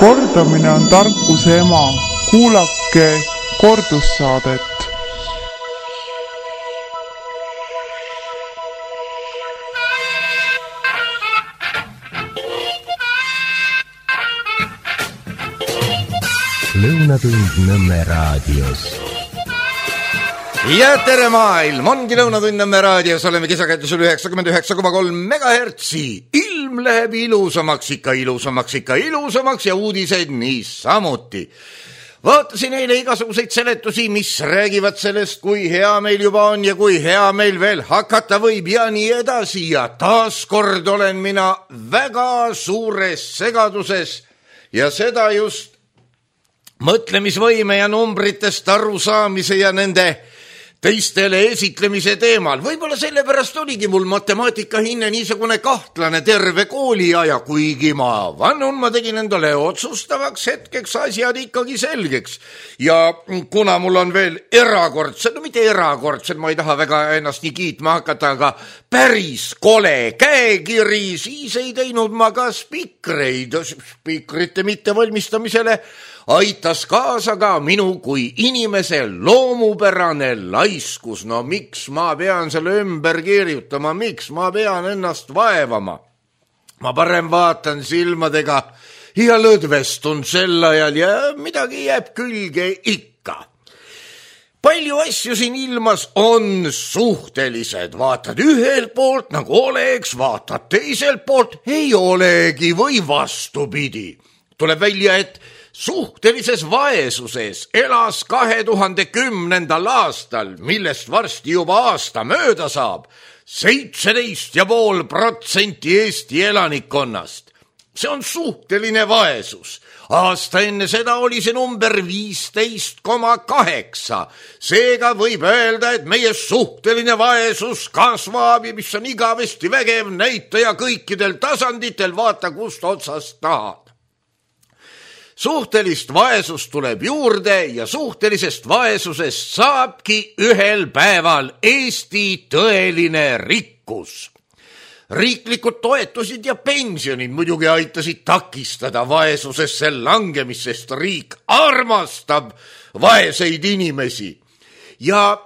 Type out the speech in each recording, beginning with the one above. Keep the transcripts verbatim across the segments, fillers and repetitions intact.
Kordamine on tarkuse ema. Kuulake kordussaadet. Lõunatund Nõmme raadios. Ja tere maailm, ongi Lõunatund Nõmme raadios, oleme kesakäitusel üheksakümmend üheksa koma kolm megahertsi. Ilm läheb ilusamaks, ikka ilusamaks, ikka ilusamaks ja uudised niisamuti. Vaatasin eile igasuguseid seletusi, mis räägivad sellest, kui hea meil juba on ja kui hea meil veel hakata võib ja nii edasi. Ja taaskord olen mina väga suures segaduses ja seda just mõtlemisvõime ja numbritest arusaamise ja nende teistele esitlemise teemal. Võib-olla sellepärast oligi mul matemaatika hinne niisugune kahtlane terve kooliaja, kuigi ma vannun, ma tegin endale otsustavaks hetkeks asjad ikkagi selgeks. Ja kuna mul on veel erakordsed, no mitte erakordsed, ma ei taha väga ennast nii kiitma hakata, aga päris kole käekiri, siis ei teinud ma ka spikreid, spikrite mittevalmistamisele aitas kaasa ka minu kui inimese loomupärane laiskus. No miks ma pean selle ümber kirjutama, miks ma pean ennast vaevama? Ma parem vaatan silmadega ja lõdvestun sel ajal ja midagi jääb külge ikka. Palju asju siin ilmas on suhtelised. Vaatad ühelt poolt nagu oleks, vaatad teiselt poolt ei olegi või vastupidi. Tuleb välja, et suhtelises vaesuses elas kahe tuhande kümnendal aastal, millest varsti juba aasta mööda saab, seitseteist ja pool protsenti Eesti elanikkonnast. See on suhteline vaesus. Aasta enne seda oli see number viisteist koma kaheksa. Seega võib öelda, et meie suhteline vaesus kasvab ja mis on igavesti vägev näitaja kõikidel tasanditel, vaata kust otsast tahad. Suhtelist vaesust tuleb juurde ja suhtelisest vaesusest saabki ühel päeval Eesti tõeline rikkus. Riiklikud toetusid ja pensionid muidugi aitasid takistada vaesusesse langemist, sest riik armastab vaeseid inimesi. Ja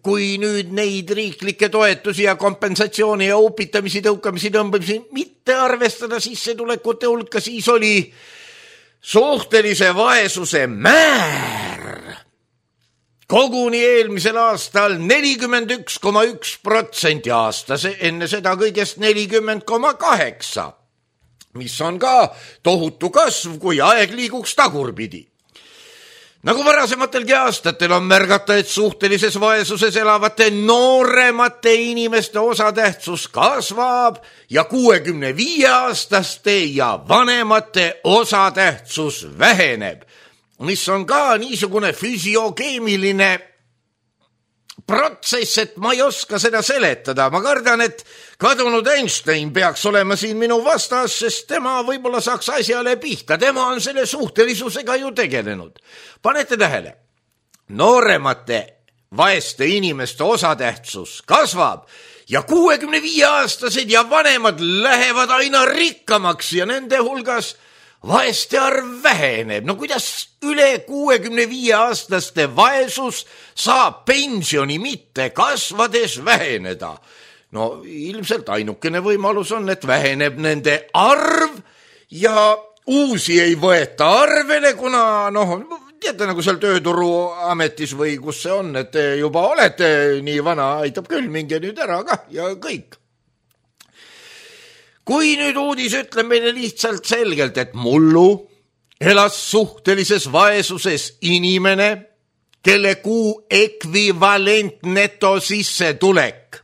kui nüüd neid riiklikke toetusi ja kompensatsiooni ja upitamisi, tõukamisi, tõmbamisi mitte arvestada sissetulekute hulka, siis oli suhtelise vaesuse määr koguni eelmisel aastal nelikümmend üks koma üks protsenti aastas, enne seda kõigest nelikümmend koma kaheksa, mis on ka tohutu kasv, kui aeg liiguks tagurpidi. Nagu varasematelgi aastatel on märgata, et suhtelises vaesuses elavate nooremate inimeste osatähtsus kasvab ja kuuekümne viie aastaste ja vanemate osatähtsus väheneb, mis on ka niisugune füsiokeemiline protsess, et ma ei oska seda seletada. Ma kardan, et kadunud Einstein peaks olema siin minu vastas, sest tema võib-olla saaks asjale pihta. Tema on selle suhtelisusega ju tegelenud. Panete tähele, nooremate vaeste inimeste osatähtsus kasvab ja kuuekümne viie aastased ja vanemad lähevad aina rikkamaks ja nende hulgas vaeste arv väheneb. No kuidas üle kuuekümne viie aastaste vaesus saab pensioni mitte kasvades väheneda? No ilmselt ainukene võimalus on, et väheneb nende arv ja uusi ei võeta arvele, kuna noh, teate nagu seal tööturuametis või kus see on, et te juba olete nii vana, aitab küll, minge nüüd ära ka ja kõik. Kui nüüd uudis ütleb meile lihtsalt selgelt, et mullu elas suhtelises vaesuses inimene, kelle kuu ekvivalent neto sissetulek.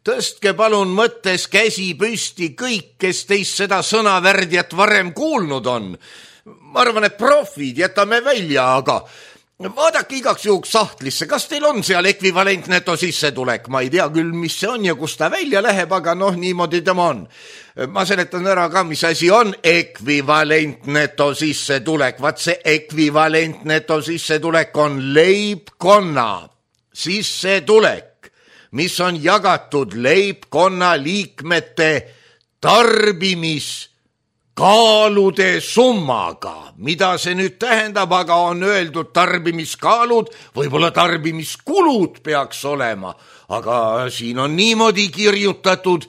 Tõstke palun mõttes käsi püsti kõik, kes teist seda sõnavärdjat varem kuulnud on. Ma arvan, et profid jätame välja, aga vaadake igaks juhuks sahtlisse, kas teil on seal ekvivalent neto sissetulek? Ma ei tea küll, mis see on ja kus ta välja läheb, aga noh, niimoodi tema on. Ma seletan ära ka, mis asi on ekvivalent neto sissetulek. Vaat see ekvivalent neto sissetulek on leibkonna sissetulek, mis on jagatud leibkonna liikmete tarbimis kaalude summaga. Mida see nüüd tähendab, aga on öeldud tarbimiskaalud, võib-olla tarbimiskulud peaks olema, aga siin on niimoodi kirjutatud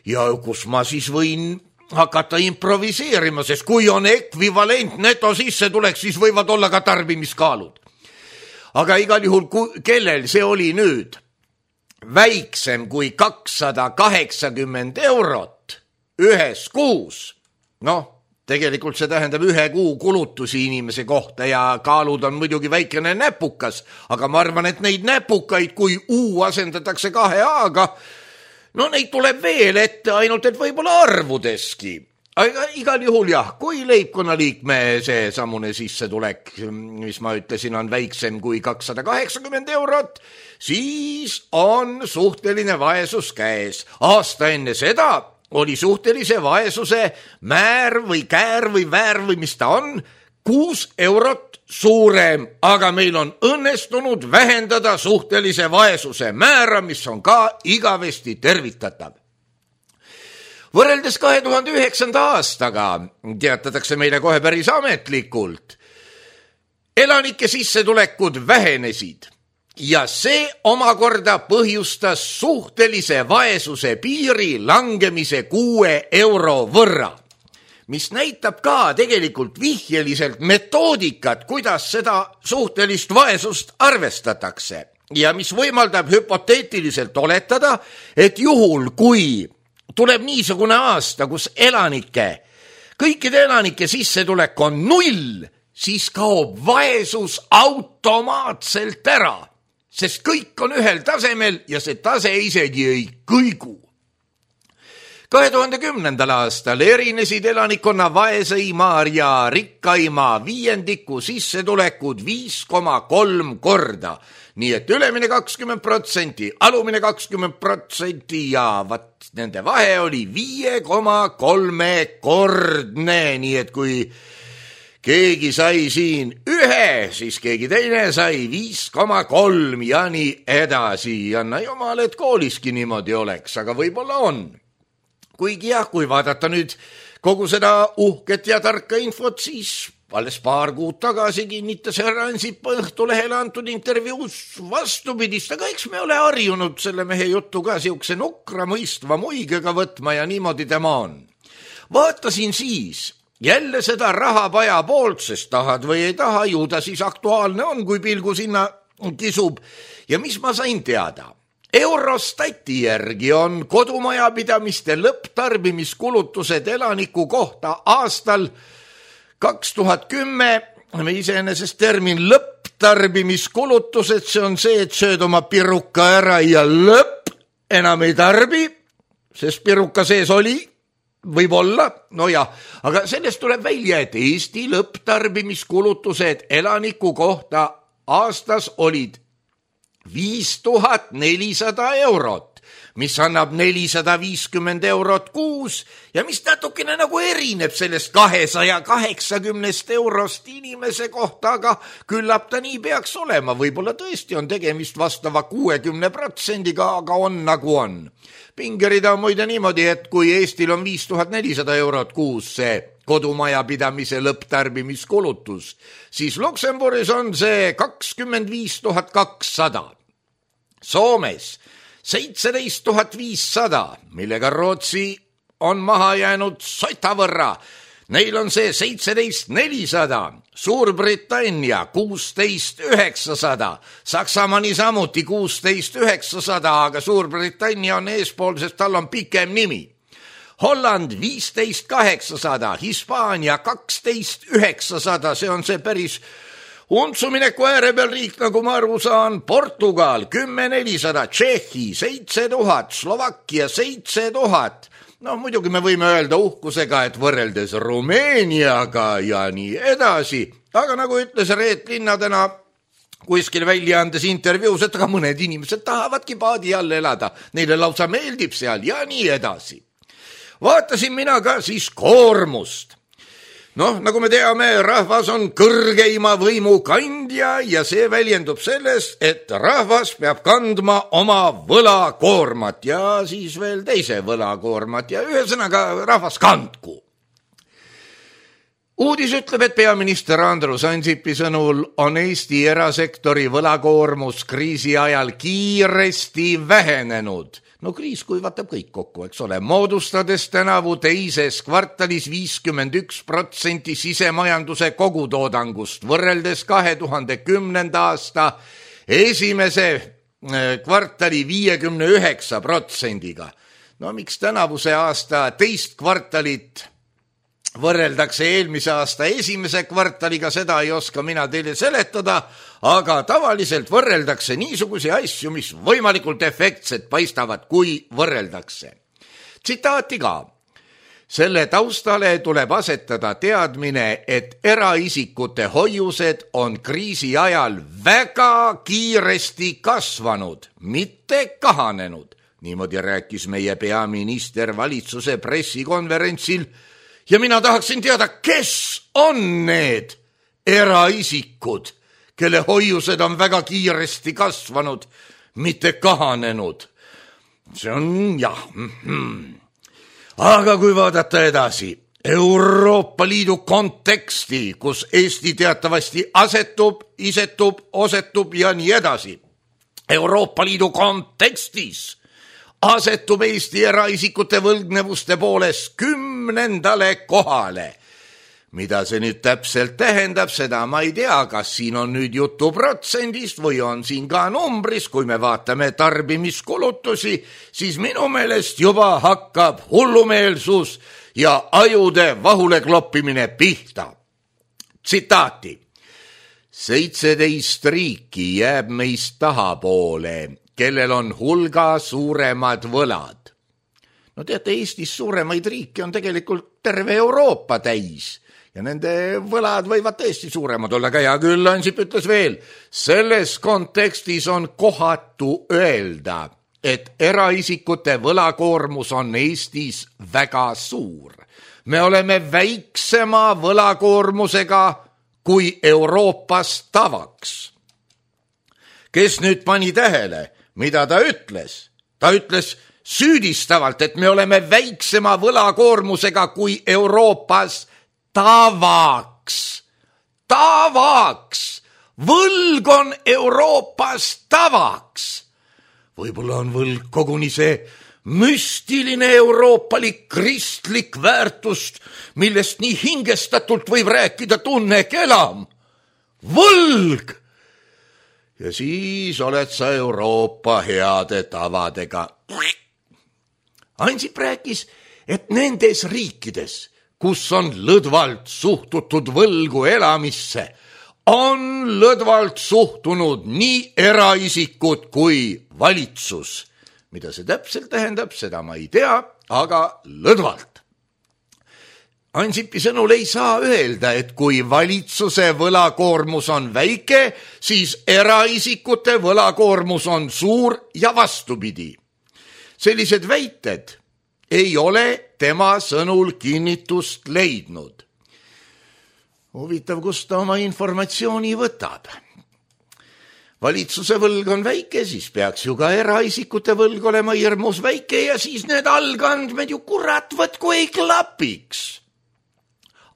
ja kus ma siis võin hakata improviseerima, sest kui on ekvivalent neto sisse tuleks, siis võivad olla ka tarbimiskaalud. Aga igal juhul, kellel see oli nüüd väiksem kui kakssada kaheksakümmend eurot ühes kuus, noh, tegelikult see tähendab ühe kuu kulutusi inimese kohta ja kaalud on muidugi väikene näpukas, aga ma arvan, et neid näpukaid, kui U asendatakse kahe A-ga, no neid tuleb veel ette, ainult et võib-olla arvudeski. Aga igal juhul jah, kui leibkonnaliikme see samune sissetulek, mis ma ütlesin, on väiksem kui kakssada kaheksakümmend eurot, siis on suhteline vaesus käes. Aasta enne seda oli suhtelise vaesuse määr või käär või väär või mis ta on, kuus eurot suurem, aga meil on õnnestunud vähendada suhtelise vaesuse määra, mis on ka igavesti tervitatav. Võrreldes kahe tuhande üheksanda aastaga teatatakse meile kohe päris ametlikult. Elanike sissetulekud vähenesid ja see omakorda põhjustas suhtelise vaesuse piiri langemise kuue euro võrra, mis näitab ka tegelikult vihjeliselt metoodikat, kuidas seda suhtelist vaesust arvestatakse ja mis võimaldab hüpoteetiliselt oletada, et juhul kui tuleb niisugune aasta, kus elanike, kõikide elanike sissetulek on null, siis kaob vaesus automaatselt ära, sest kõik on ühel tasemel ja see tase isegi ei kõigu. kahe tuhande kümnendal aastal erinesid elanikkonna vaeseimaa ja rikkaimaa viiendiku sissetulekud viis koma kolm korda, nii et ülemine kakskümmend protsenti, alumine kakskümmend protsenti ja vat nende vahe oli viie koma kolme kordne, nii et kui keegi sai siin ühe, siis keegi teine sai viis koma kolm ja nii edasi. Anna jumal, et kooliski niimoodi oleks, aga võib-olla on. Kuigi jah, kui vaadata nüüd kogu seda uhket ja tarka infot, siis alles paar kuud tagasi kinnitas härra Ansip Õhtulehele antud intervjuus vastupidist, aga eks me ole harjunud selle mehe juttu ka siukse nukra mõistva muigega võtma ja niimoodi tema on. Vaatasin siis jälle seda rahapaja poolt, sest tahad või ei taha, ju ta siis aktuaalne on, kui pilgu sinna kisub. Ja mis ma sain teada? Eurostati järgi on kodumajapidamiste lõpptarbimiskulutused elaniku kohta aastal kaks tuhat kümme, me iseenesest termin lõpptarbimiskulutused, see on see, et sööd oma piruka ära ja lõpp enam ei tarbi, sest piruka sees oli, võib-olla, no jah, aga sellest tuleb välja, et Eesti lõpptarbimiskulutused elaniku kohta aastas olid viis tuhat nelisada eurot, mis annab nelisada viiskümmend eurot kuus ja mis natukene nagu erineb sellest kahesaja kaheksakümnest eurost inimese kohta, aga küllap ta nii peaks olema. Võib-olla tõesti on tegemist vastava kuuekümne protsendiga, aga on nagu on. Pingerida on muide niimoodi, et kui Eestil on viis tuhat nelisada eurot kuus see kodumajapidamise lõpptarbimiskulutus, siis Luksemburgis on see kakskümmend viis tuhat kakssada. Soomes seitseteist tuhat viissada, millega Rootsi on maha jäänud sota võrra. Neil on see seitseteist tuhat nelisada, Suurbritannia kuusteist tuhat üheksasada, Saksamaa niisamuti kuusteist tuhat üheksasada, aga Suurbritannia on eespool, sest tal on pikem nimi. Holland viisteist tuhat kaheksasada, Hispaania kaksteist tuhat üheksasada, see on see päris untsumineku ääre peal riik, nagu ma aru saan, Portugal kümme tuhat nelisada, Tšehhi seitse tuhat, Slovakkia seitse tuhat. No muidugi me võime öelda uhkusega, et võrreldes Rumeeniaga ja nii edasi, aga nagu ütles Reet Linna täna kuskil väljaandes intervjuus, et aga mõned inimesed tahavadki paadi all elada, neile lausa meeldib seal ja nii edasi. Vaatasin mina ka siis koormust. Noh, nagu me teame, rahvas on kõrgeima võimu kandja ja see väljendub selles, et rahvas peab kandma oma võlakoormat ja siis veel teise võlakoormat ja ühesõnaga rahvas kandku. Uudis ütleb, et peaminister Andrus Ansipi sõnul on Eesti erasektori võlakoormus kriisi ajal kiiresti vähenenud. No kriis kuivatab kõik kokku, eks ole, moodustades tänavu teises kvartalis viiskümmend üks protsenti sisemajanduse kogutoodangust võrreldes kahe tuhande kümnenda aasta esimese kvartali viiekümne üheksa protsendiga. No miks tänavuse aasta teist kvartalit võrreldakse eelmise aasta esimese kvartaliga, seda ei oska mina teile seletada, aga tavaliselt võrreldakse niisugusi asju, mis võimalikult efektsed paistavad, kui võrreldakse. Tsitaati ka. Selle taustale tuleb asetada teadmine, et eraisikute hoiused on kriisi ajal väga kiiresti kasvanud, mitte kahanenud. Niimoodi rääkis meie peaminister valitsuse pressikonverentsil. Ja mina tahaksin teada, kes on need eraisikud, kelle hoiused on väga kiiresti kasvanud, mitte kahanenud. See on jah. Mm-hmm. Aga kui vaadata edasi, Euroopa Liidu konteksti, kus Eesti teatavasti asetub, isetub, osetub ja nii edasi. Euroopa Liidu kontekstis asetub Eesti eraisikute võlgnevuste poolest kümnendale kohale. Mida see nüüd täpselt tähendab, seda ma ei tea, kas siin on nüüd jutu protsendist või on siin ka numbris. Kui me vaatame tarbimiskulutusi, siis minu meelest juba hakkab hullumeelsus ja ajude vahule kloppimine pihta. Tsitaati. seitseteist riiki jääb meist tahapoole, kellel on hulga suuremad võlad. No teate, Eestis suuremaid riike on tegelikult terve Euroopa täis ja nende võlad võivad tõesti suuremad olla, aga hea küll, Ansip ütles veel, selles kontekstis on kohatu öelda, et eraisikute võlakoormus on Eestis väga suur. Me oleme väiksema võlakoormusega kui Euroopas tavaks. Kes nüüd pani tähele, mida ta ütles? Ta ütles süüdistavalt, et me oleme väiksema võlakoormusega kui Euroopas tavaks. Tavaks! Võlg on Euroopas tavaks. Võib-olla on võlg koguni see müstiline euroopalik kristlik väärtust, millest nii hingestatult võib rääkida Tunne Kelam. Võlg! Ja siis oled sa Euroopa heade tavadega. Ansip rääkis, et nendes riikides, kus on lõdvalt suhtutud võlgu elamisse, on lõdvalt suhtunud nii eraisikud kui valitsus. Mida see täpselt tähendab, seda ma ei tea, aga lõdvalt. Ansipi sõnul ei saa öelda, et kui valitsuse võlakoormus on väike, siis eraisikute võlakoormus on suur ja vastupidi. Sellised väited ei ole tema sõnul kinnitust leidnud. Huvitav, kust ta oma informatsiooni võtab. Valitsuse võlg on väike, siis peaks ju ka eraisikute võlg olema hirmus väike ja siis need algandmed ju kurat võtku ei klapiks.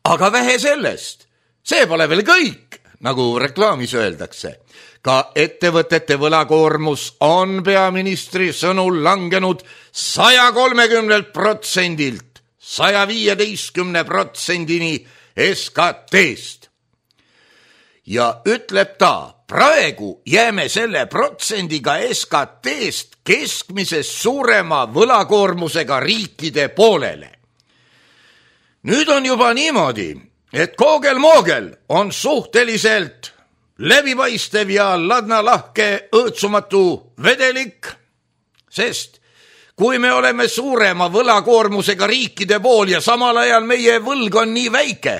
Aga vähe sellest, see pole veel kõik, nagu reklaamis öeldakse. Ka ettevõtete võlakoormus on peaministri sõnul langenud saja kolmekümnelt protsendilt saja viieteistkümne protsendini S K T-st. Ja ütleb ta, praegu jääme selle protsendiga S K T-st keskmisest suurema võlakoormusega riikide poolele. Nüüd on juba niimoodi, et koogel-moogel on suhteliselt läbipaistev ja ladnalahke õõtsumatu vedelik, sest kui me oleme suurema võlakoormusega riikide pool ja samal ajal meie võlg on nii väike,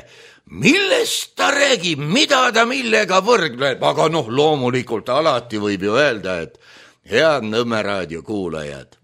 millest ta räägib, mida ta millega võrdleb, aga noh, loomulikult alati võib ju öelda, et head Nõmme raadio kuulajad,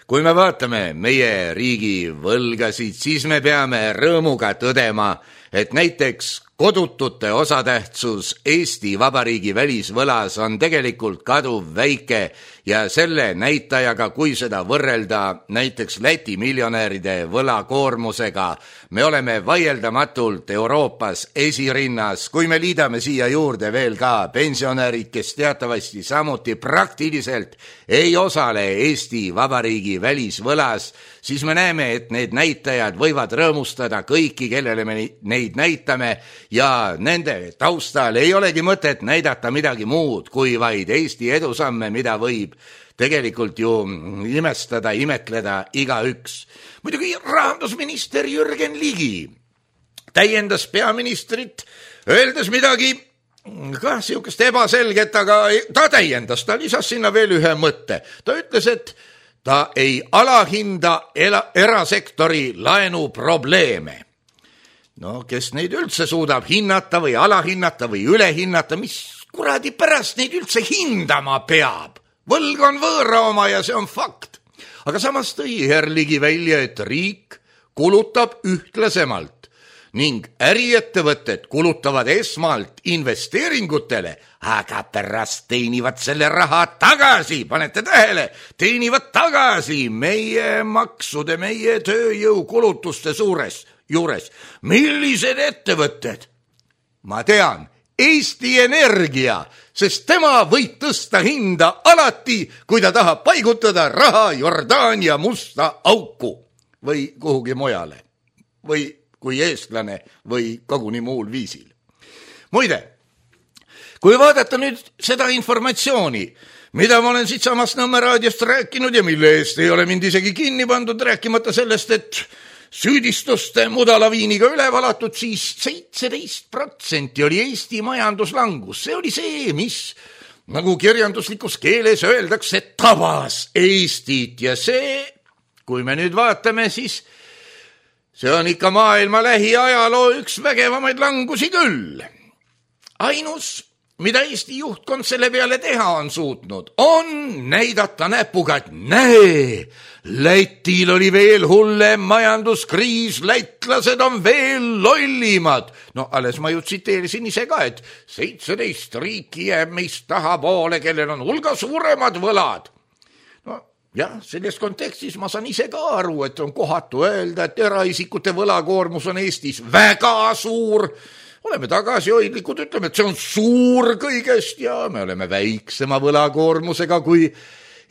kui me vaatame meie riigi võlgasid, siis me peame rõõmuga tõdema, et näiteks kodutute osatähtsus Eesti Vabariigi välisvõlas on tegelikult kaduv väike ja selle näitajaga, kui seda võrrelda näiteks Läti miljonäride võlakoormusega, me oleme vaieldamatult Euroopas esirinnas. Kui me liidame siia juurde veel ka pensionärid, kes teatavasti samuti praktiliselt ei osale Eesti Vabariigi välisvõlas, siis me näeme, et need näitajad võivad rõõmustada kõiki, kellele me neid näitame, ja nende taustal ei olegi mõtet näidata midagi muud kui vaid Eesti edusamme, mida võib tegelikult ju imestada, imetleda igaüks. Muidugi rahandusminister Jürgen Ligi täiendas peaministrit, öeldes midagi ka siukest ebaselget, aga ta täiendas, ta lisas sinna veel ühe mõtte. Ta ütles, et ta ei alahinda erasektori laenu probleeme. No, kes neid üldse suudab hinnata või alahinnata või ülehinnata, mis kuradi pärast neid üldse hindama peab? Võlg on võõra oma ja see on fakt. Aga samas tõi Herr Ligi välja, et riik kulutab ühtlasemalt ning äriettevõtted kulutavad esmalt investeeringutele, aga pärast teenivad selle raha tagasi, panete tähele, teenivad tagasi meie maksude, meie tööjõukulutuste suures juures. Millised ettevõtted? Ma tean, Eesti Energia, sest tema võib tõsta hinda alati, kui ta tahab paigutada raha Jordaania musta auku või kuhugi mujale või kui eestlane või koguni muul viisil. Muide, kui vaadata nüüd seda informatsiooni, mida ma olen siit samast Nõmme raadiost rääkinud ja mille eest ei ole mind isegi kinni pandud, rääkimata sellest, et süüdistuste mudalaviiniga üle valatud, siis seitseteist protsenti oli Eesti majanduslangus. See oli see, mis, nagu kirjanduslikus keeles öeldakse, tabas Eestit. Ja see, kui me nüüd vaatame, siis see on ikka maailma lähiajaloo üks vägevamaid langusi küll. Ainus, mida Eesti juhtkond selle peale teha on suutnud, on näidata näpuga, et näe, Lätil oli veel hullem majanduskriis, lätlased on veel lollimad. No alles ma ju tsiteerisin ise ka, et seitseteist riiki jääb meist tahapoole, kellel on hulga suuremad võlad. No jah, selles kontekstis ma saan ise ka aru, et on kohatu öelda, et eraisikute võlakoormus on Eestis väga suur. Oleme tagasihoidlikud, ütleme, et see on suur kõigest ja me oleme väiksema võlakoormusega kui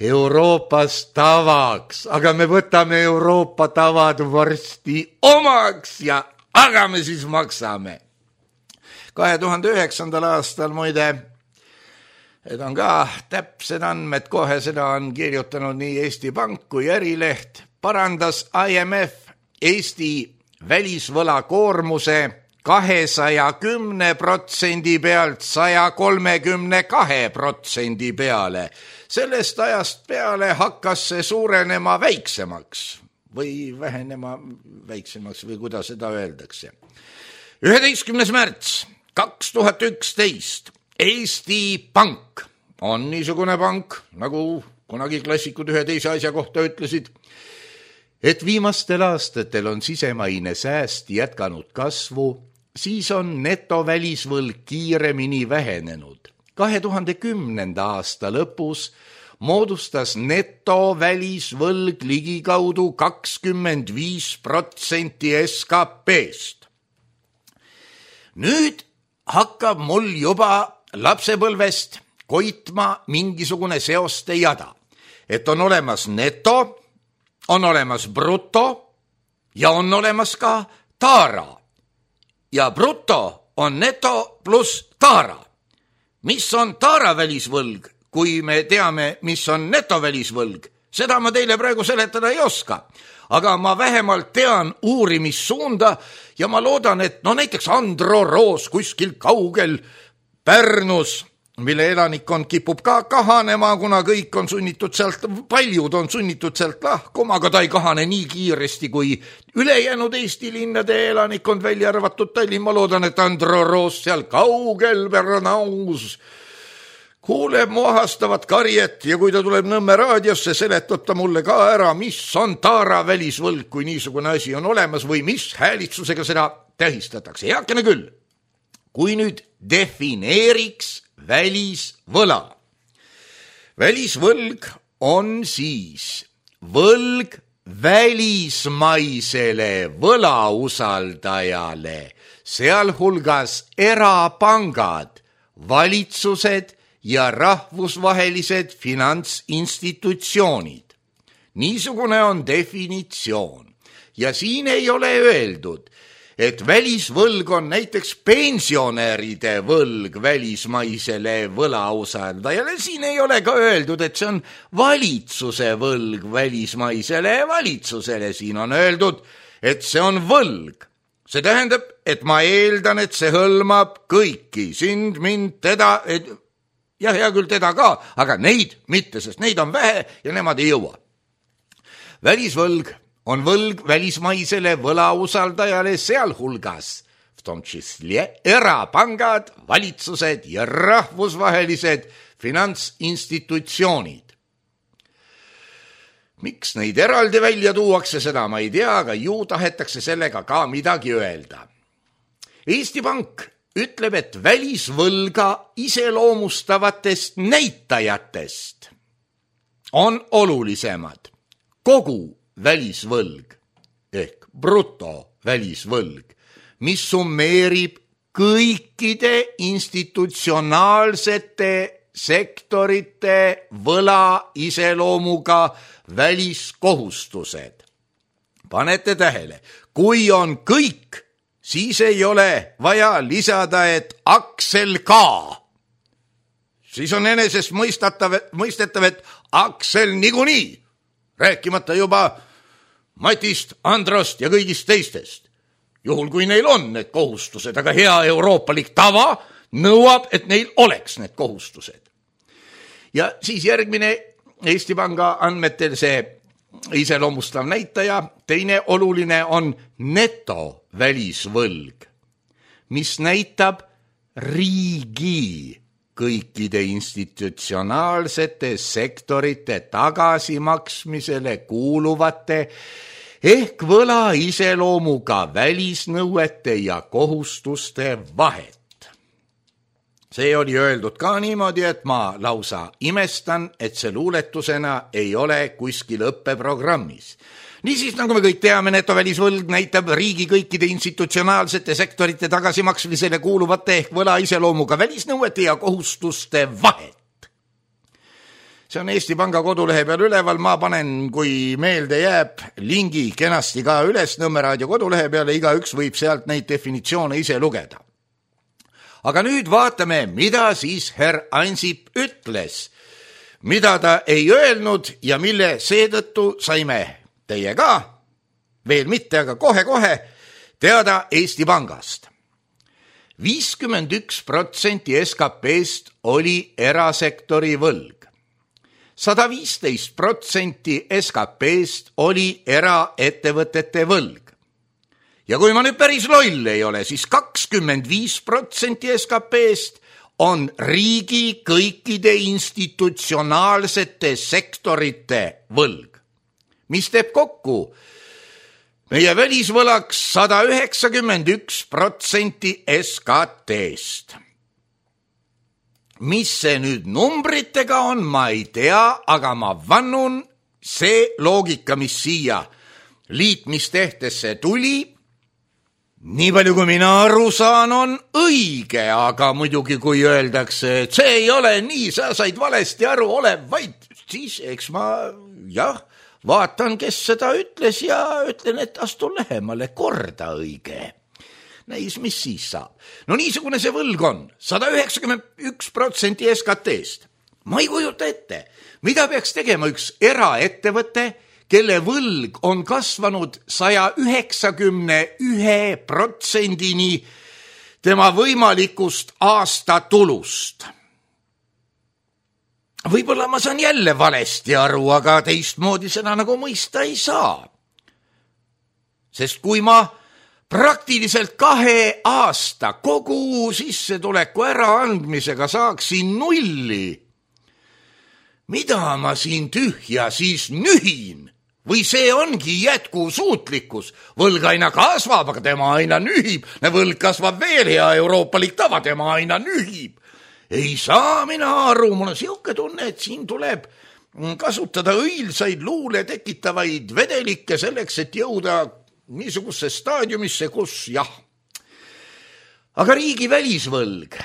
Euroopas tavaks, aga me võtame Euroopa tavad varsti omaks ja aga me siis maksame. kahe tuhande üheksandal aastal muide, et on ka täpsed andmed, kohe seda on kirjutanud nii Eesti Pank kui Ärileht, parandas I M F Eesti välisvõlakoormuse kahesaja kümne protsendi pealt saja kolmekümne kahe protsendi peale. Sellest ajast peale hakkas see suurenema väiksemaks või vähenema väiksemaks või kuidas seda öeldakse. üheteistkümnes märts kaks tuhat üksteist Eesti Pank on niisugune pank, nagu kunagi klassikud ühe teise asja kohta ütlesid, et viimastel aastatel on sisemaine sääst jätkanud kasvu, siis on netovälisvõlg kiiremini vähenenud. kahe tuhande kümnenda aasta lõpus moodustas netovälisvõlg ligikaudu kakskümmend viis protsenti S K P-st. Nüüd hakkab mul juba lapsepõlvest koitma mingisugune seoste jada, et on olemas neto, on olemas bruto ja on olemas ka taara. Ja bruto on neto pluss taara. Mis on taaravälisvõlg, kui me teame, mis on netovälisvõlg? Seda ma teile praegu seletada ei oska, aga ma vähemalt tean uurimissuunda ja ma loodan, et no näiteks Andro Roos kuskil kaugel Pärnus, mille elanikkond kipub ka kahanema, kuna kõik on sunnitud sealt, paljud on sunnitud sealt lahkuma, aga ta ei kahane nii kiiresti kui ülejäänud Eesti linnade elanikkond, välja arvatud Tallinn. Ma loodan, et Andro Roos seal kaugel Pärnaus kuuleb mu ahastavat karjet ja kui ta tuleb Nõmme raadiosse, seletab ta mulle ka ära, mis on taaravälisvõlg, kui niisugune asi on olemas või mis häälitsusega seda tähistatakse. Heakene küll, kui nüüd defineeriks välisvõla. välisvõlg on siis võlg välismaisele võlausaldajale, sealhulgas erapangad, valitsused ja rahvusvahelised finantsinstitutsioonid. Niisugune on definitsioon ja siin ei ole öeldud, et välisvõlg on näiteks pensionäride võlg välismaisele võlausaldajale. Siin ei ole ka öeldud, et see on valitsuse võlg välismaisele valitsusele. Siin on öeldud, et see on võlg. See tähendab, et ma eeldan, et see hõlmab kõiki, sind, mind, teda, et, ja hea küll teda ka, aga neid mitte, sest neid on vähe ja nemad ei jõua. Välisvõlg on võlg välismaisele võlausaldajale, sealhulgas v tom čísle erapangad, valitsused ja rahvusvahelised finantsinstitutsioonid. Miks neid eraldi välja tuuakse, seda ma ei tea, aga ju tahetakse sellega ka midagi öelda. Eesti Pank ütleb, et välisvõlga iseloomustavatest näitajatest on olulisemad kogu välisvõlg ehk bruto välisvõlg, mis summeerib kõikide institutsionaalsete sektorite võla iseloomuga väliskohustused. Panete tähele, kui on kõik, siis ei ole vaja lisada, et Aksel ka. Siis on enesest mõistetav, mõistetav, et Aksel niikuinii, rääkimata juba Matist, Androst ja kõigist teistest. Juhul kui neil on need kohustused, aga hea euroopalik tava nõuab, et neil oleks need kohustused. Ja siis järgmine Eesti Panga andmetel see iseloomustav näitaja, teine oluline on neto välisvõlg, mis näitab riigi kõikide institutsionaalsete sektorite tagasimaksmisele kuuluvate ehk võla iseloomuga välisnõuete ja kohustuste vahet. See oli öeldud ka niimoodi, et ma lausa imestan, et see luuletusena ei ole kuskil õppeprogrammis. Niisiis, nagu me kõik teame, netovälisvõlg näitab riigi kõikide institutsionaalsete sektorite tagasimaksmisele kuuluvate ehk võla iseloomuga välisnõuete ja kohustuste vahet. See on Eesti Panga kodulehe peal üleval, ma panen, kui meelde jääb, lingi kenasti ka üles Nõmmeraadio kodulehe peale, igaüks võib sealt neid definitsioone ise lugeda. Aga nüüd vaatame, mida siis herr Ansip ütles, mida ta ei öelnud ja mille seetõttu saime teie ka, veel mitte, aga kohe-kohe teada Eesti Pangast. viiskümmend üks protsenti S K P-st oli erasektori võlg. sada viisteist protsenti S K P-st oli eraettevõtete võlg. Ja kui ma nüüd päris loll ei ole, siis kakskümmend viis protsenti S K P-st on riigi kõikide institutsionaalsete sektorite võlg, mis teeb kokku meie välisvõlaks sada üheksakümmend üks protsenti S K T-st. Mis see nüüd numbritega on, ma ei tea, aga ma vannun, see loogika, mis siia liitmistehtesse tuli, nii palju kui mina aru saan, on õige, aga muidugi kui öeldakse, et see ei ole nii, sa said valesti aru, ole vaid, siis eks ma, jah, vaatan, kes seda ütles ja ütlen, et astu lähemale, korda õige. Näis, mis siis saab. No niisugune see võlg on, sada üheksakümmend üks protsenti S K T-st. Ma ei kujuta ette, mida peaks tegema üks eraettevõte, kelle võlg on kasvanud saja üheksakümne ühe protsendini tema võimalikust aastatulust. Võib-olla ma saan jälle valesti aru, aga teistmoodi seda nagu mõista ei saa. Sest kui ma praktiliselt kahe aasta kogu sissetuleku äraandmisega saaksin nulli, mida ma siin tühja siis nühin? Või see ongi jätkusuutlikkus? Võlg aina kasvab, aga tema aina nühib. Võlg kasvab veel, hea euroopalik tava, tema aina nühib. ei saa mina aru, mul on siuke tunne, et siin tuleb kasutada õilsaid luule tekitavaid vedelikke selleks, et jõuda niisugusse staadiumisse, kus jah. Aga riigi välisvõlg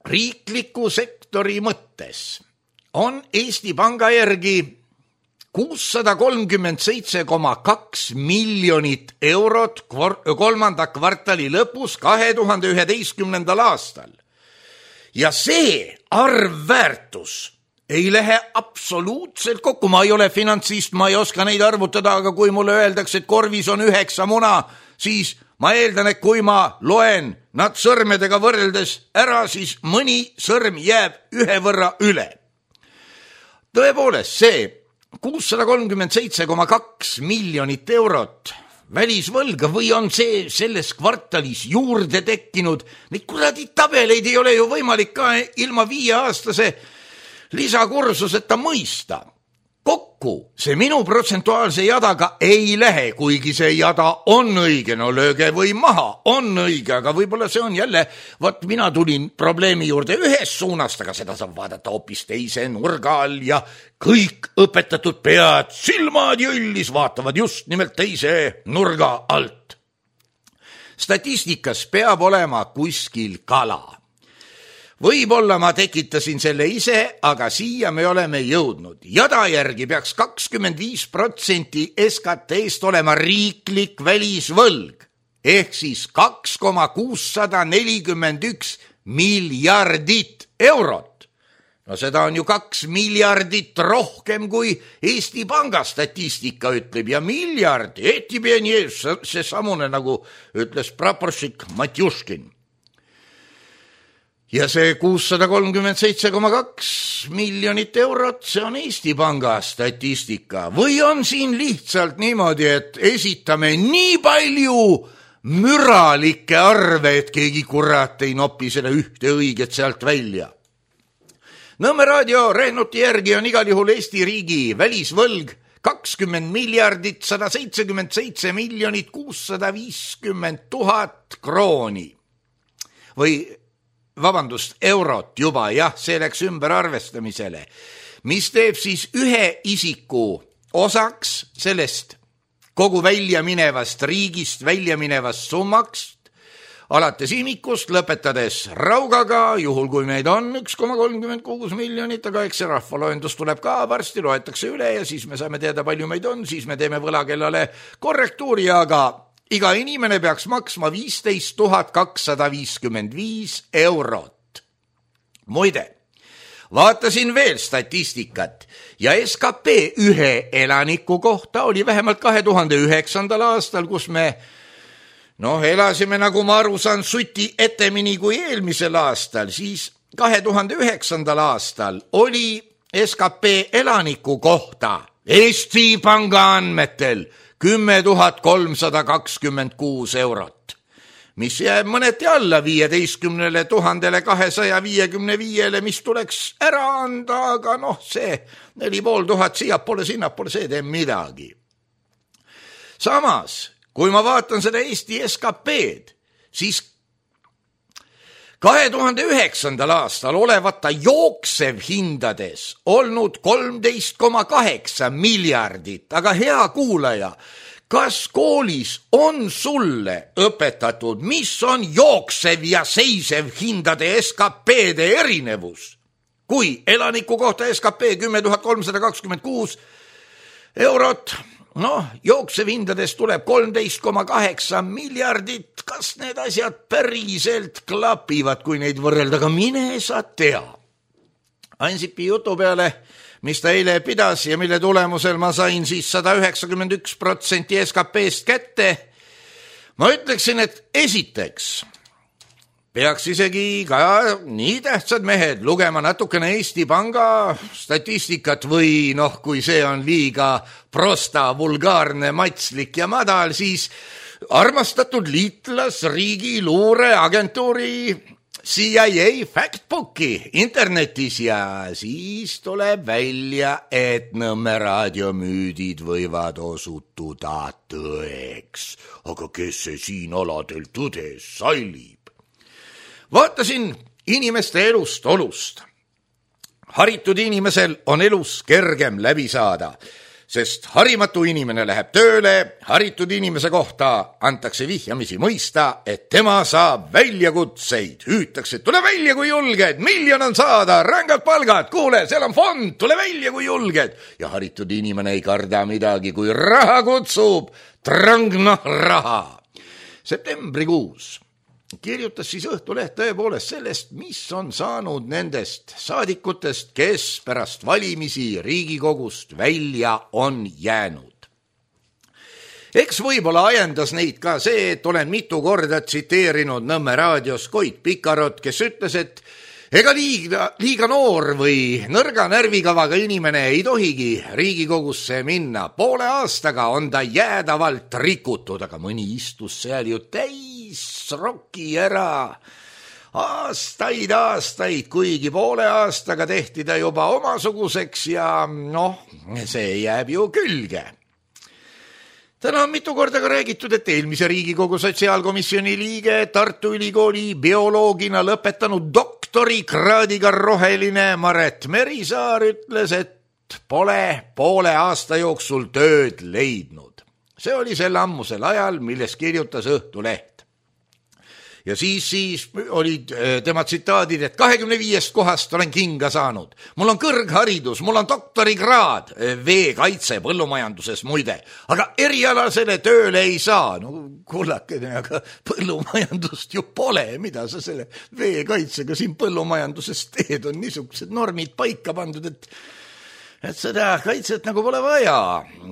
riikliku sektori mõttes on Eesti Panga järgi kuussada kolmkümmend seitse koma kaks miljonit eurot kolmanda kvartali lõpus kahe tuhande üheteistkümnendal aastal. Ja see arvväärtus ei lähe absoluutselt kokku. Ma ei ole finantsist, ma ei oska neid arvutada, aga kui mulle öeldakse, et korvis on üheksa muna, siis ma eeldan, et kui ma loen nad sõrmedega võrreldes ära, siis mõni sõrm jääb ühe võrra üle. Tõepoolest, see kuussada kolmkümmend seitse koma kaks miljonit eurot välisvõlga või on see selles kvartalis juurde tekkinud, neid kuradi tabeleid ei ole ju võimalik ka ilma viieaastase lisakursuseta mõista. Kokku see minu protsentuaalse jadaga ei lähe, kuigi see jada on õige, no lööge või maha, on õige, aga võib-olla see on jälle, vaat mina tulin probleemi juurde ühes suunast, aga seda saab vaadata hoopis teise nurga all ja kõik õpetatud pead, silmad jõllis vaatavad just nimelt teise nurga alt. Statistikas peab olema kuskil kala. Võib-olla ma tekitasin selle ise, aga siia me oleme jõudnud. Jada järgi peaks kakskümmend viis protsenti S K T-st olema riiklik välisvõlg, ehk siis kaks koma kuussada nelikümmend üks miljardit eurot. No seda on ju kaks miljardit rohkem kui Eesti Panga statistika ütleb ja miljard, eti pieni ees, see samune nagu ütles praporšik Matjuškin. Ja see kuussada kolmkümmend seitse koma kaks miljonit eurot, see on Eesti Panga statistika. Või on siin lihtsalt niimoodi, et esitame nii palju müralikke arve, et keegi kurat ei nopi selle ühte õiget sealt välja. Nõmme raadio Rehnuti järgi on igal juhul Eesti riigi välisvõlg kakskümmend miljardit sada seitsekümmend seitse miljonit kuussada viiskümmend tuhat krooni. Või vabandust, eurot juba, jah, see läks ümber arvestamisele, mis teeb siis ühe isiku osaks sellest kogu välja minevast riigist, välja minevast summaks, alates imikust, lõpetades raugaga, juhul kui meid on üks koma kolmkümmend kuus miljonit, aga eks see rahvaloendus tuleb ka, varsti loetakse üle ja siis me saame teada, palju meid on, siis me teeme võlakellale korrektuuri, aga iga inimene peaks maksma viisteist tuhat kakssada viiskümmend viis eurot. Muide, vaatasin veel statistikat ja S K P ühe elaniku kohta oli vähemalt kahe tuhande üheksandal aastal, kus me noh, elasime, nagu ma aru saan, suti etemini kui eelmisel aastal, siis kahe tuhande üheksandal aastal oli S K P elaniku kohta Eesti Panga andmetel kümme tuhat kolmsada kakskümmend kuus eurot, mis jääb mõneti alla viieteistkümnele tuhandele kahesaja viiekümne viiele, mis tuleks ära anda, aga noh, see neli pool tuhat siia pole, sinna pole, see teeb midagi. Samas, kui ma vaatan seda Eesti S K P-d, siis kahe tuhande üheksandal aastal olevata jooksev hindades olnud kolmteist koma kaheksa miljardit, aga hea kuulaja, kas koolis on sulle õpetatud, mis on jooksev ja seisev hindade S K P-de erinevus? Kui elaniku kohta S K P kümme tuhat kolmsada kakskümmend kuus eurot, noh, jooksev hindades tuleb kolmteist koma kaheksa miljardit, kas need asjad päriselt klapivad, kui neid võrrelda, aga mine sa tea. Ansipi jutu peale, mis ta eile pidas ja mille tulemusel ma sain siis sada üheksakümmend üks protsenti S K P-st kätte, ma ütleksin, et esiteks peaks isegi ka nii tähtsad mehed lugema natukene Eesti Panga statistikat või noh, kui see on liiga prosta, vulgaarne, matslik ja madal, siis armastatud liitlasriigi luureagentuuri C I A Factbooki internetis ja siis tuleb välja, et Nõmme raadiomüüdid võivad osutuda tõeks. Aga kes see siin aladel tõdes sallib? Vaatasin inimeste elust olust. Haritud inimesel on elus kergem läbi saada, sest harimatu inimene läheb tööle, haritud inimese kohta antakse vihjamisi mõista, et tema saab väljakutseid. Hüütakse, tule välja kui julged, miljon on saada, rängad palgad, kuule, seal on fond, tule välja kui julged. Ja haritud inimene ei karda midagi, kui raha kutsub, trangna raha. Septembrikuus kirjutas siis Õhtuleht tõepoolest sellest, mis on saanud nendest saadikutest, kes pärast valimisi Riigikogust välja on jäänud. Eks võib-olla ajendas neid ka see, et olen mitu korda tsiteerinud Nõmme raadios Koit Pikarot, kes ütles, et ega liiga, liiga noor või nõrga närvikavaga inimene ei tohigi Riigikogusse minna. Poole aastaga on ta jäädavalt rikutud, aga mõni istus seal ju täis roki ära. Aastaid, aastaid, kuigi poole aastaga tehti ta juba omasuguseks ja noh, see jääb ju külge. Täna on mitu korda ka räägitud, et eelmise Riigikogu sotsiaalkomisjoni liige, Tartu Ülikooli bioloogina lõpetanud doktorikraadiga roheline Maret Merisaar ütles, et pole poole aasta jooksul tööd leidnud. See oli sel ammusel ajal, milles kirjutas Õhtuleht. Ja siis, siis olid tema tsitaadid, et kahekümne viiest kohast olen kinga saanud. Mul on kõrgharidus, mul on doktorikraad, veekaitse põllumajanduses muide, aga erialasele tööle ei saa. No kullakene, aga põllumajandust ju pole, mida sa selle veekaitsega siin põllumajanduses teed, on niisugused normid paika pandud, et et seda kaitset nagu pole vaja.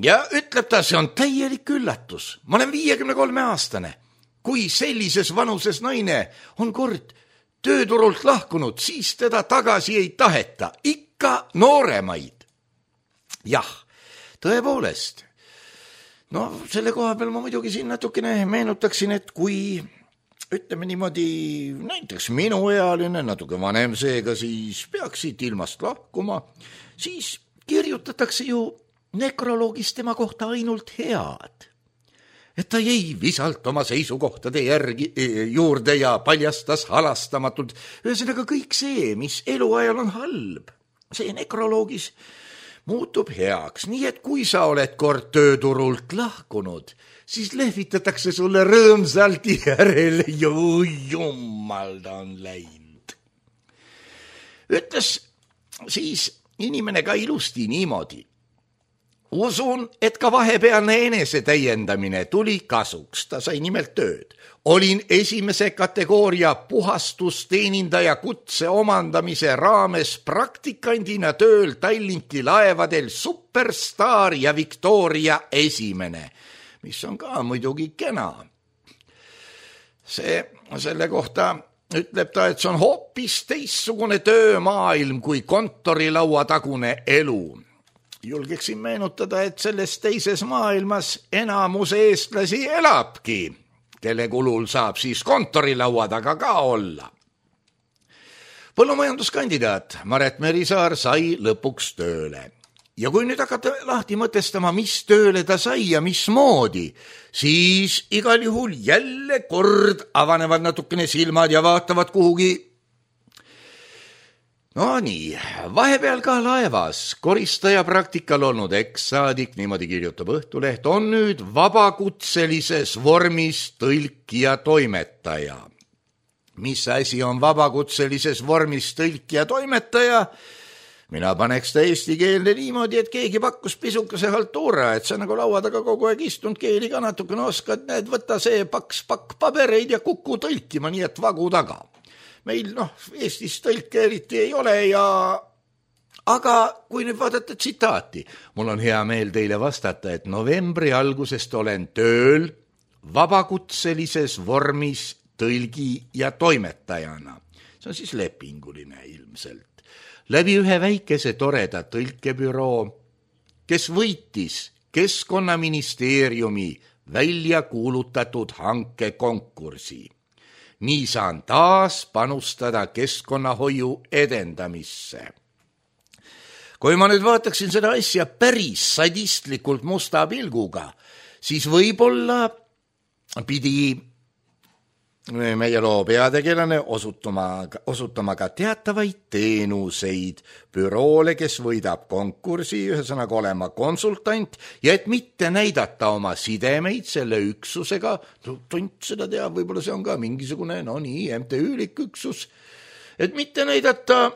Ja ütleb ta, see on täielik üllatus. Ma olen viiekümne kolme aastane. Kui sellises vanuses naine on kord tööturult lahkunud, siis teda tagasi ei taheta, ikka nooremaid. Jah, tõepoolest. No selle koha peal ma muidugi siin natukene meenutaksin, et kui ütleme niimoodi näiteks minuealine, natuke vanem seega, siis peaks siit ilmast lahkuma, siis kirjutatakse ju nekroloogis tema kohta ainult head. Et ta jäi visalt oma seisukohtade järgi juurde ja paljastas halastamatult. Ühesõnaga kõik see, mis eluajal on halb, see nekroloogis muutub heaks. Nii et kui sa oled kord tööturult lahkunud, siis lehvitatakse sulle rõõmsalt järele. Ju jumal ta on läinud. Ütles siis inimene ka ilusti niimoodi. Usun, et ka vahepealne enese täiendamine tuli kasuks, ta sai nimelt tööd. Olin esimese kategooria puhastusteenindaja kutse omandamise raames praktikandina tööl Tallinki laevadel Superstar ja Victoria esimene, mis on ka muidugi kena. See, selle kohta ütleb ta, et see on hoopis teistsugune töömaailm kui kontorilaua tagune elu. Julgeksin meenutada, et selles teises maailmas enamus eestlasi elabki, kelle kulul saab siis kontorilaua taga ka olla. Põllumajanduskandidaat Maret Merisaar sai lõpuks tööle. Ja kui nüüd hakata lahti mõtestama, mis tööle ta sai ja mismoodi, siis igal juhul jälle kord avanevad natukene silmad ja vaatavad kuhugi. No nii, vahepeal ka laevas koristaja praktikal olnud ekssaadik, niimoodi kirjutab Õhtuleht, on nüüd vabakutselises vormis tõlk ja toimetaja. Mis asi on vabakutselises vormis tõlk ja toimetaja? Mina paneks ta eestikeelne niimoodi, et keegi pakkus pisukese haltuura, et sa nagu laua taga kogu aeg istunud, keeli ka natukene oskad, näed, võta see paks pakk pabereid ja kuku tõlkima, nii et vagu taga. Meil noh, Eestis tõlke eriti ei ole ja aga kui nüüd vaadata tsitaati, mul on hea meel teile vastata, et novembri algusest olen tööl vabakutselises vormis tõlgi ja toimetajana. See on siis lepinguline ilmselt. Läbi ühe väikese toreda tõlkebüroo, kes võitis Keskkonnaministeeriumi välja kuulutatud hankekonkursi. Nii saan taas panustada keskkonnahoiu edendamisse. Kui ma nüüd vaataksin seda asja päris sadistlikult musta pilguga, siis võib-olla pidi meie loo peategelane osutama, osutama ka teatavaid teenuseid büroole, kes võidab konkursi, ühesõnaga olema konsultant ja et mitte näidata oma sidemeid selle üksusega, tont seda teab, võib-olla see on ka mingisugune, no nii, M T Ü-lik üksus, et mitte näidata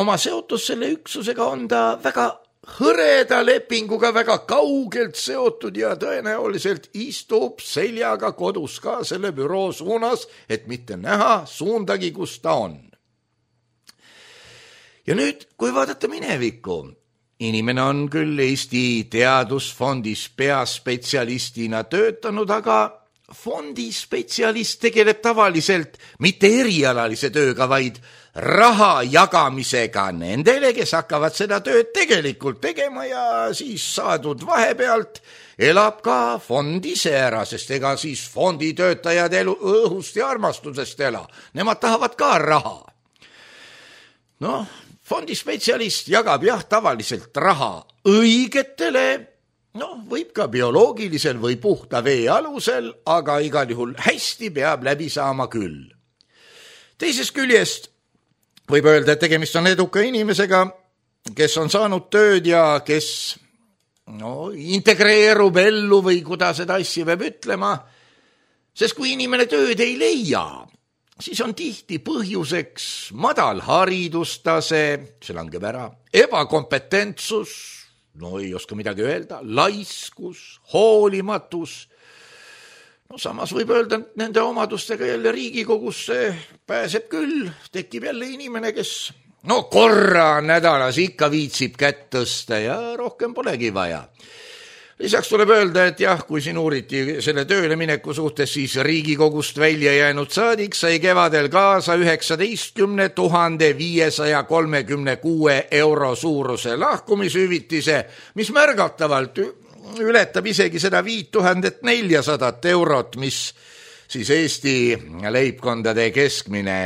oma seotus selle üksusega, on ta väga hõreda lepinguga väga kaugelt seotud ja tõenäoliselt istub seljaga kodus ka selle büroo suunas, et mitte näha suundagi, kus ta on. Ja nüüd, kui vaadata minevikku, inimene on küll Eesti Teadusfondis peaspetsialistina töötanud, aga fondi spetsialist tegeleb tavaliselt mitte erialalise tööga, vaid raha jagamisega nendele, kes hakkavad seda tööd tegelikult tegema ja siis saadud vahepealt elab ka fond ise ära, sest ega siis fondi töötajad elu õhust ja armastusest ela. Nemad tahavad ka raha. Noh, fondi spetsialist jagab jah tavaliselt raha õigetele, noh, võib ka bioloogilisel või puhta vee alusel, aga igal juhul hästi peab läbi saama küll. Teisest küljest võib öelda, et tegemist on eduka inimesega, kes on saanud tööd ja kes no, integreerub ellu või kuidas seda asja peab ütlema, sest kui inimene tööd ei leia, siis on tihti põhjuseks madal haridustase, see langeb ära, ebakompetentsus, no ei oska midagi öelda, laiskus, hoolimatus. No samas võib öelda, et nende omadustega jälle Riigikogusse pääseb küll, tekib jälle inimene, kes no korra nädalas ikka viitsib kätt tõsta ja rohkem polegi vaja. Lisaks tuleb öelda, et jah, kui siin uuriti selle tööle mineku suhtes, siis Riigikogust välja jäänud saadik sai kevadel kaasa üheksateistkümne tuhande viiesaja kolmekümne kuue euro suuruse lahkumishüvitise, mis märgatavalt ületab isegi seda viis tuhat neljasada eurot, mis siis Eesti leibkondade keskmine,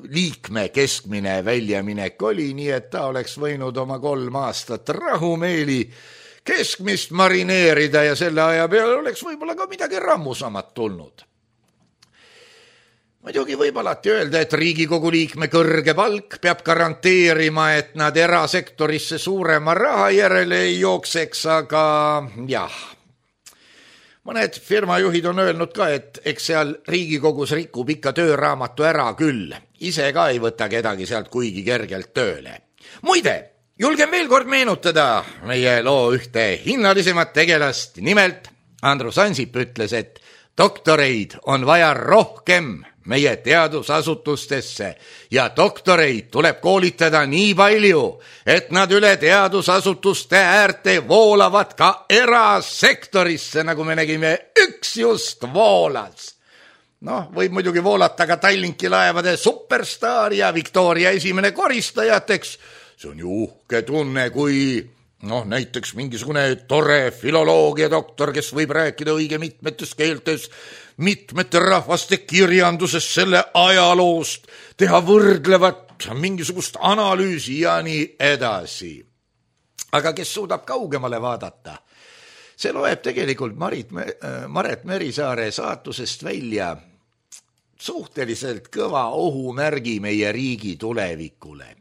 liikme keskmine väljaminek oli, nii et ta oleks võinud oma kolm aastat rahumeeli keskmist marineerida ja selle aja peale oleks võib-olla ka midagi rammusamat tulnud. Muidugi võib alati öelda, et Riigikogu liikme kõrge palk peab garanteerima, et nad erasektorisse suurema raha järele ei jookseks, aga jah, mõned firmajuhid on öelnud ka, et eks seal Riigikogus rikub ikka tööraamatu ära küll, ise ka ei võta kedagi sealt kuigi kergelt tööle. Muide, julgen veel kord meenutada meie loo ühte hinnalisemat tegelast, nimelt Andrus Ansip ütles, et doktoreid on vaja rohkem meie teadusasutustesse ja doktoreid tuleb koolitada nii palju, et nad üle teadusasutuste äärte voolavad ka erasektorisse, nagu me nägime, üks just voolas. Noh, võib muidugi voolata ka Tallinki laevade superstaar ja Victoria esimene koristajateks. See on ju uhke tunne, kui noh, näiteks mingisugune tore filoloogia doktor, kes võib rääkida õige mitmetes keeltes, mitmete rahvaste kirjanduses selle ajaloost, teha võrdlevat mingisugust analüüsi ja nii edasi. Aga kes suudab kaugemale vaadata, see loeb tegelikult Marit, Maret Merisaare saatusest välja suhteliselt kõva ohumärgi meie riigi tulevikule.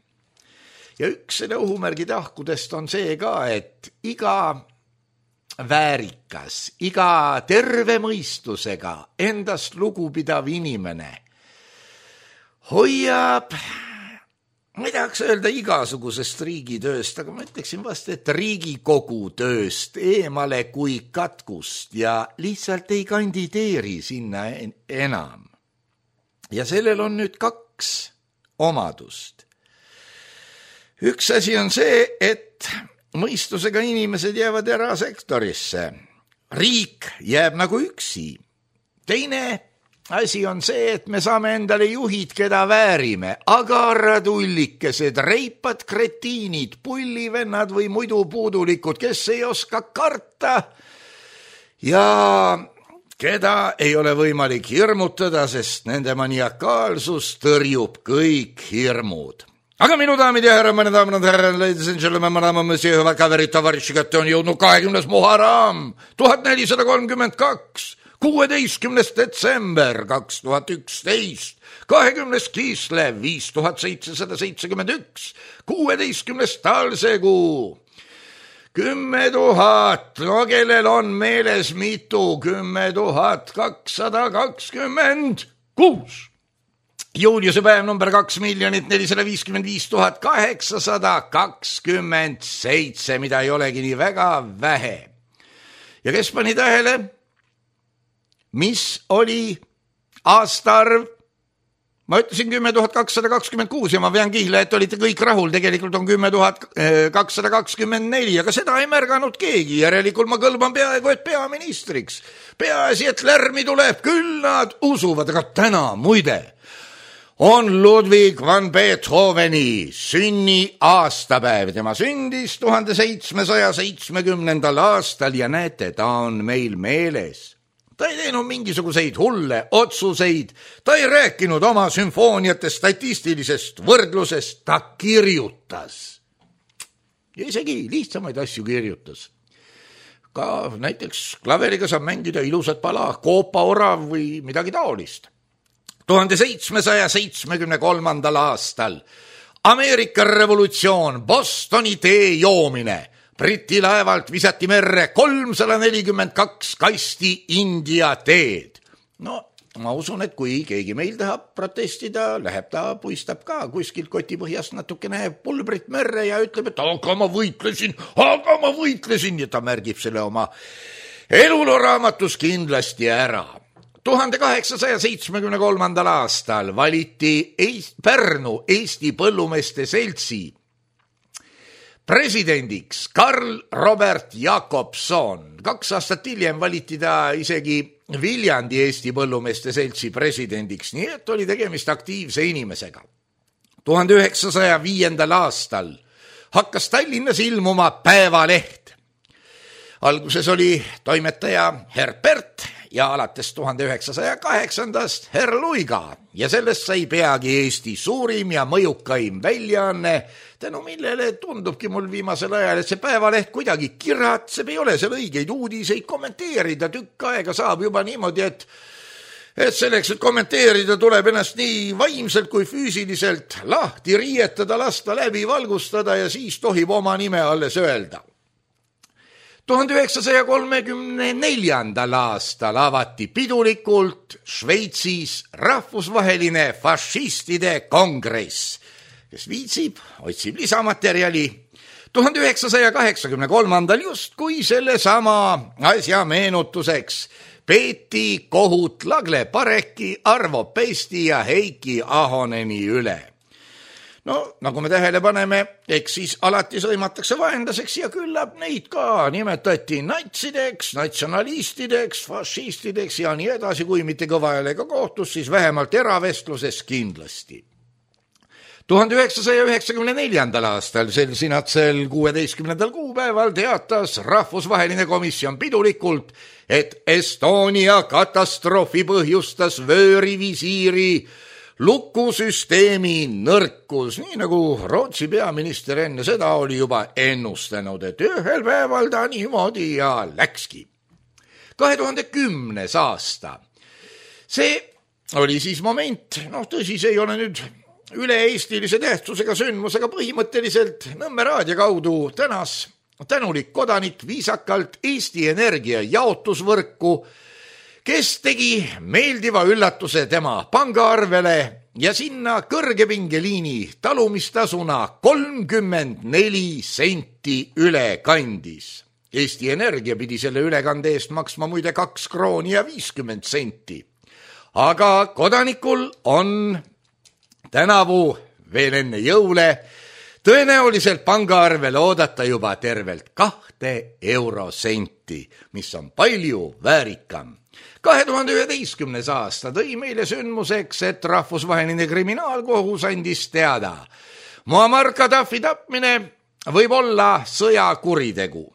Ja üks selle ohumärgi tahkudest on see ka, et iga väärikas, iga terve mõistusega endast lugupidav inimene hoiab, ma ei tahaks öelda igasugusest riigitööst, aga ma ütleksin vast, et Riigikogu tööst eemale kui katkust ja lihtsalt ei kandideeri sinna enam. Ja sellel on nüüd kaks omadust. Üks asi on see, et mõistusega inimesed jäävad erasektorisse. Riik jääb nagu üksi. Teine asi on see, et me saame endale juhid, keda väärime. Agaratullikesed, reipad kretiinid, pullivennad või muidu puudulikud, kes ei oska karta ja keda ei ole võimalik hirmutada, sest nende maniakaalsus tõrjub kõik hirmud. Aga minu daamid ja härra, mõne daamid ja härra, ladies and gentlemen, madame, monsieur, hüvad kaverid, tavariši kätte on jõudnud kahekümnes Muharram, tuhat nelisada kolmkümmend kaks, kuueteistkümnes detsember kaks tuhat üksteist, kahekümnes Kislev viis tuhat seitsesada seitsekümmend üks, kuueteistkümnes talsekuu, kümme tuhat, no kellel on meeles mitu, kümme tuhat kakssada kakskümmend kuus. Juuliuse päev number kaks miljonit nelisada viiskümmend viis tuhat kaheksasada kakskümmend seitse, mida ei olegi nii väga vähe. Ja kes pani tähele, mis oli aastaarv? Ma ütlesin kümme tuhat kakssada kakskümmend kuus ja ma pean kihla, et olite kõik rahul, tegelikult on kümme tuhat kakssada kakskümmend neli, aga seda ei märganud keegi, järelikult ma kõlban peaaegu et peaministriks. Peaasi, et lärmi tuleb, küll nad usuvad, aga täna muide on Ludwig van Beethoveni sünni aastapäev. Tema sündis tuhande seitsmesaja seitsmekümnendal aastal ja näete, ta on meil meeles. Ta ei teinud mingisuguseid hulle otsuseid, ta ei rääkinud oma sümfooniatest statistilisest võrdlusest, ta kirjutas. Ja isegi lihtsamaid asju kirjutas. Ka näiteks klaveriga saab mängida ilusat pala, Koopa orav või midagi taolist. tuhande seitsmesaja seitsmekümne kolmandal aastal Ameerika revolutsioon, Bostoni tee joomine, Briti laevalt visati merre kolmsada nelikümmend kaks kasti India teed. No, ma usun, et kui keegi meil tahab protestida, läheb ta, puistab ka kuskilt kotipõhjast natukene pulbrit merre ja ütleb, et aga ma võitlesin, aga ma võitlesin ja ta märgib selle oma elulooraamatus kindlasti ära. tuhande kaheksasaja seitsmekümne kolmandal aastal valiti Pärnu Eesti Põllumeeste Seltsi presidendiks Karl Robert Jakobson. Kaks aastat hiljem valiti ta isegi Viljandi Eesti Põllumeeste Seltsi presidendiks, nii et oli tegemist aktiivse inimesega. tuhande üheksasaja viiendal aastal hakkas Tallinnas ilmuma Päevaleht. Alguses oli toimetaja Herbert ja alates tuhande üheksasaja kaheksandast Herr Luiga ja sellest sai peagi Eesti suurim ja mõjukaim väljaanne, tänu millele tundubki mul viimasel ajal, et see Päevaleht kuidagi kiratseb, ei ole seal õigeid uudiseid kommenteerida, tükk aega saab juba niimoodi, et et selleks, et kommenteerida, tuleb ennast nii vaimselt kui füüsiliselt lahti riietada, lasta läbi valgustada ja siis tohib oma nime alles öelda. tuhande üheksasaja kolmekümne neljandal aastal avati pidulikult Šveitsis rahvusvaheline fašistide kongress, kes viitsib, otsib lisamaterjali. tuhande üheksasaja kaheksakümne kolmandal justkui selle sama asja meenutuseks peeti kohut Lagle Pareki, Arvo Pesti ja Heiki Ahoneni üle. No, nagu me tähele paneme, eks siis alati sõimatakse vaenlaseks ja küllap neid ka nimetati natsideks, natsionalistideks, fašistideks ja nii edasi, kui mitte kõva häälega kohtus, siis vähemalt eravestluses kindlasti. tuhande üheksasaja üheksakümne neljandal aastal sel sinatsel kuueteistkümnendal kuupäeval teatas rahvusvaheline komisjon pidulikult, et Estonia katastroofi põhjustas vöörivisiiri lukusüsteemi nõrkus, nii nagu Rootsi peaminister enne seda oli juba ennustanud, et ühel päeval ta niimoodi ja läkski. kahe tuhande kümnes aasta. See oli siis moment, noh tõsi, see ei ole nüüd üle-eestilise tähtsusega sündmus, aga põhimõtteliselt Nõmme raadio kaudu tänas tänulik kodanik viisakalt Eesti Energia jaotusvõrku, kes tegi meeldiva üllatuse tema pangaarvele ja sinna kõrgepingeliini talumistasuna kolmkümmend neli senti üle kandis. Eesti Energia pidi selle ülekande eest maksma muide kaks krooni ja viiskümmend senti. Aga kodanikul on tänavu veel enne jõule tõenäoliselt pangaarvele oodata juba tervelt kahte eurosenti, mis on palju väärikam. kahe tuhande üheteistkümnes aasta tõi meile sündmuseks, et rahvusvaheline kriminaalkohus andis teada. Muammar Gaddafi tapmine võib olla sõjakuritegu.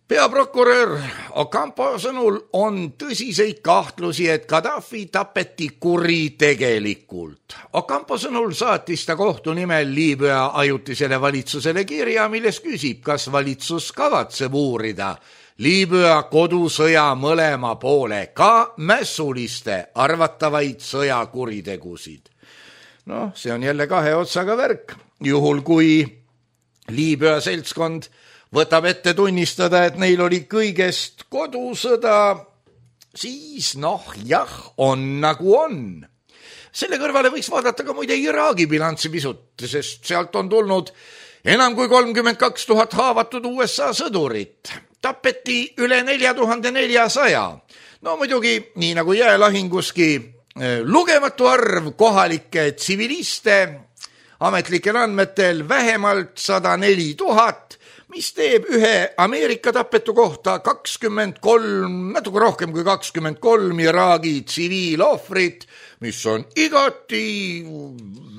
Peaprokurör Ocampo sõnul on tõsiseid kahtlusi, et Gaddafi tapeti kuritegelikult. Ocampo sõnul saatis ta kohtu nimel Liibüa ajutisele valitsusele kirja, milles küsib, kas valitsus kavatseb uurida Liibüa kodusõja mõlema poole, ka mässuliste arvatavaid sõjakuritegusid. noh, see on jälle kahe otsaga värk. Juhul kui Liibüa seltskond võtab ette tunnistada, et neil oli kõigest kodusõda, siis noh, jah, on nagu on. Selle kõrvale võiks vaadata ka muide Iraagi bilanssi pisut, sest sealt on tulnud enam kui kolmkümmend kaks tuhat haavatud U S A sõdurit. Tapeti üle nelja tuhande neljasaja. No muidugi, nii nagu jäälahinguski, lugematu arv kohalikke tsiviliste, ametlikel andmetel vähemalt sada neli tuhat, mis teeb ühe Ameerika tapetu kohta kakskümmend kolm, natuke rohkem kui kakskümmend kolm Iraagi tsiviilohvrit, mis on igati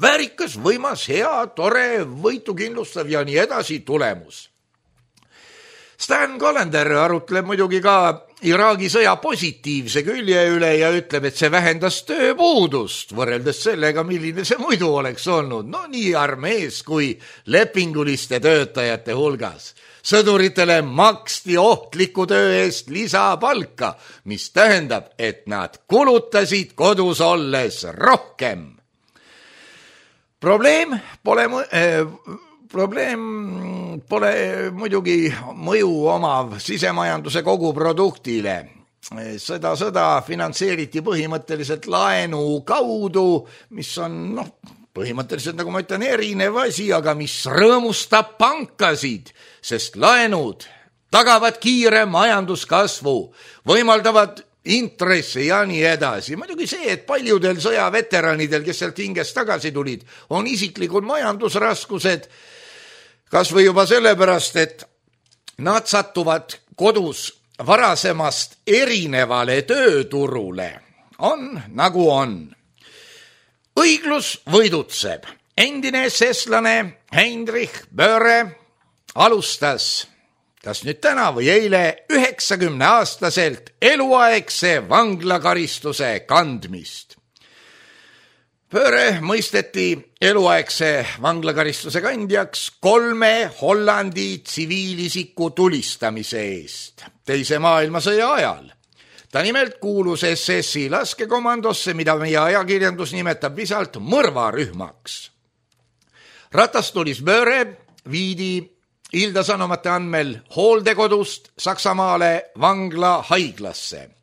väärikas, võimas, hea, tore, võitu kindlustav ja nii edasi tulemus. Stan Callender arutleb muidugi ka Iraagi sõja positiivse külje üle ja ütleb, et see vähendas tööpuudust võrreldes sellega, milline see muidu oleks olnud. No nii armees kui lepinguliste töötajate hulgas. Sõduritele maksti ohtliku töö eest lisapalka, mis tähendab, et nad kulutasid kodus olles rohkem. Probleem pole... Äh, Probleem pole muidugi mõju omav sisemajanduse koguproduktile. Seda sõda finantseeriti põhimõtteliselt laenu kaudu, mis on noh, põhimõtteliselt, nagu ma ütlen, erinev asi, aga mis rõõmustab pankasid, sest laenud tagavad kiire majanduskasvu, võimaldavad intresse ja nii edasi. Muidugi see, et paljudel sõjaveteranidel, kes sealt hingest tagasi tulid, on isiklikud majandusraskused, kas või juba sellepärast, et nad satuvad kodus varasemast erinevale tööturule. On nagu on. Õiglus võidutseb. Endine eseslane Heinrich Böhre alustas, kas nüüd täna või eile, üheksakümne aastaselt eluaegse vanglakaristuse kandmist. Böhre mõisteti eluaegse vanglakaristuse kandjaks kolme Hollandi tsiviilisiku tulistamise eest teise maailmasõja ajal. Ta nimelt kuulus S S-i laskekomandosse, mida meie ajakirjandus nimetab visalt mõrvarühmaks. Ratastulis Böhre viidi Ilda Sanomate andmel hooldekodust Saksamaale vangla haiglasse.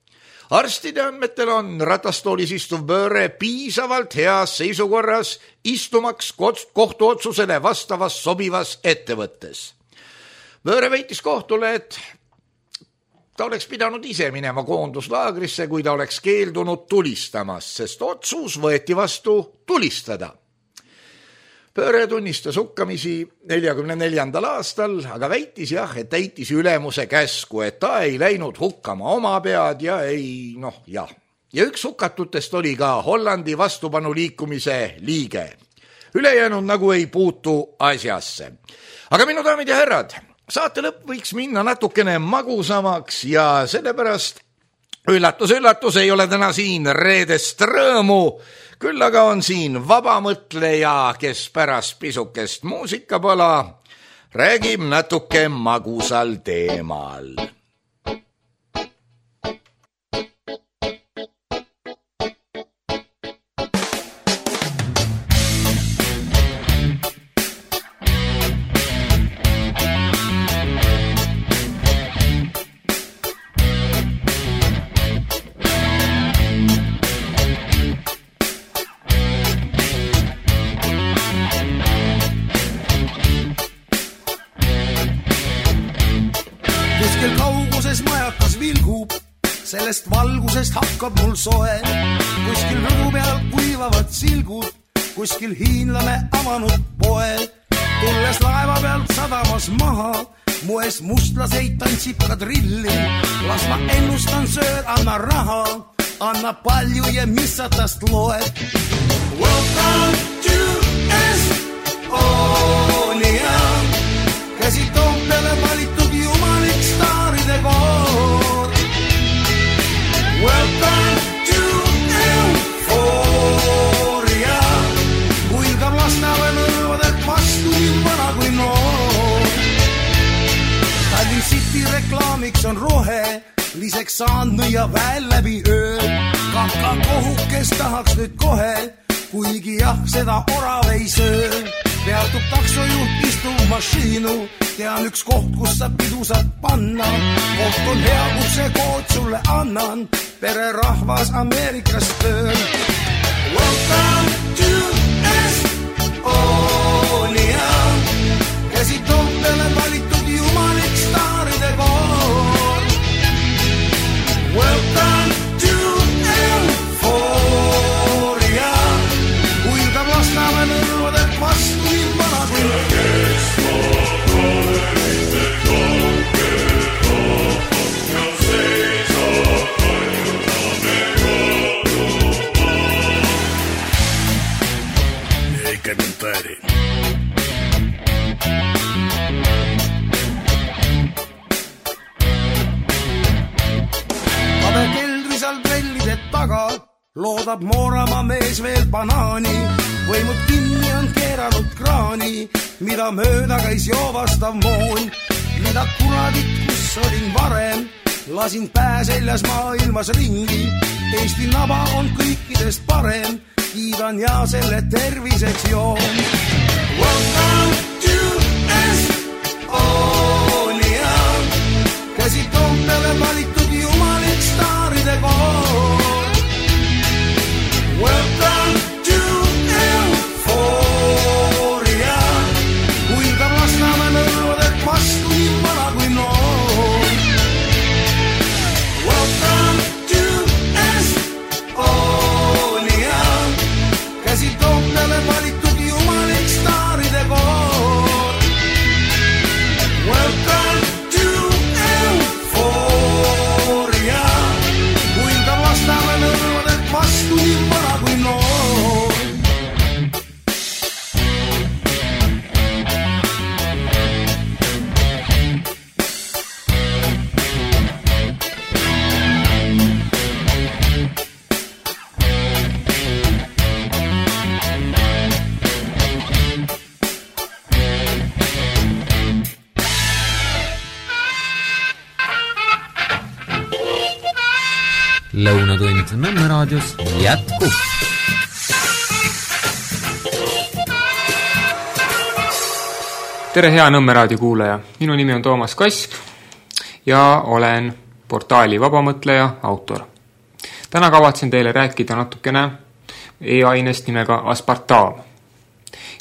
Arstide andmetel on ratastoolis istuv Böhre piisavalt heas seisukorras istumaks kohtuotsusele vastavas sobivas ettevõttes. Böhre väitis kohtule, et ta oleks pidanud ise minema koonduslaagrisse, kui ta oleks keeldunud tulistamas, sest otsus võeti vastu tulistada. Böhre tunnistas hukkamisi neljakümne neljandal aastal, aga väitis jah, et täitis ülemuse käsku, et ta ei läinud hukkama oma pead ja ei, noh jah. Ja üks hukatutest oli ka Hollandi vastupanuliikumise liige. Ülejäänud nagu ei puutu asjasse. Aga minu daamid ja härrad, saate lõpp võiks minna natukene magusamaks ja sellepärast üllatus, üllatus ei ole täna siin reedest rõõmu, küll aga on siin vabamõtleja, kes pärast pisukest muusikapala räägib natuke magusal teemal. Sellest valgusest hakkab mul soe, kuskil rõdu peal kuivavad silgud, kuskil hiinlane avanud poe. Tulles laeva pealt sadamas maha, moes mustlaseid tantsib kadrilli. Las ma ennustan sööd, anna raha, anna palju ja mis sa tast loed. Welcome to Estonia, käsi Toompeale valitud jumalik staaride koor. Welcome to Euphoria, huilgab lastale nõuvad vastu nii vana kui noor. Tallinn City reklaami miks on rohe, liseks saanud müüa väel läbi öö. Kakakohukes tahaks nüüd kohe, kuigi jah, seda orav ei söö. Peatub taksojuht, istub mašiinu, tean üks koht, kus sa pidu saad panna. Koht on hea, kus see kood sulle annan, pererahvas Ameerikas tööl. Welcome to Estonia, käsi Toompeale valitud jumalik staaride koor. Welcome to Euphoria, huilgab Lasnamäe nõrvadelt vastu nii vana kui loodab Mooramaa mees veel banaani, võimud kinni on keeranud kraani, mida mööda käis joovastav moon. Mida kuradit, kus olin varem, lasin pää seljas maailmas ringi. Eesti naba on kõikidest parem, kiidan ja selle terviseks joon. Welcome to Estonia, käsi Toompeale valitud jumalik staaride koor. Welcome to Euphoria, huilgab Lasnamäe nõrvadelt vastu nii vana kui noor. Welcome to Estonia, käsi Toompeale valitud jumalik staaride koor. Welcome to Euphoria, huilgab Lasnamäe nõrvadelt vastu nii vana. Lõunatund Nõmme raadios jätkub. Tere hea Nõmme raadio kuulaja. Minu nimi on Toomas Kask ja olen portaali Vabamõtleja autor. Täna kavatsen teile rääkida natukene e-ainest nimega aspartaam.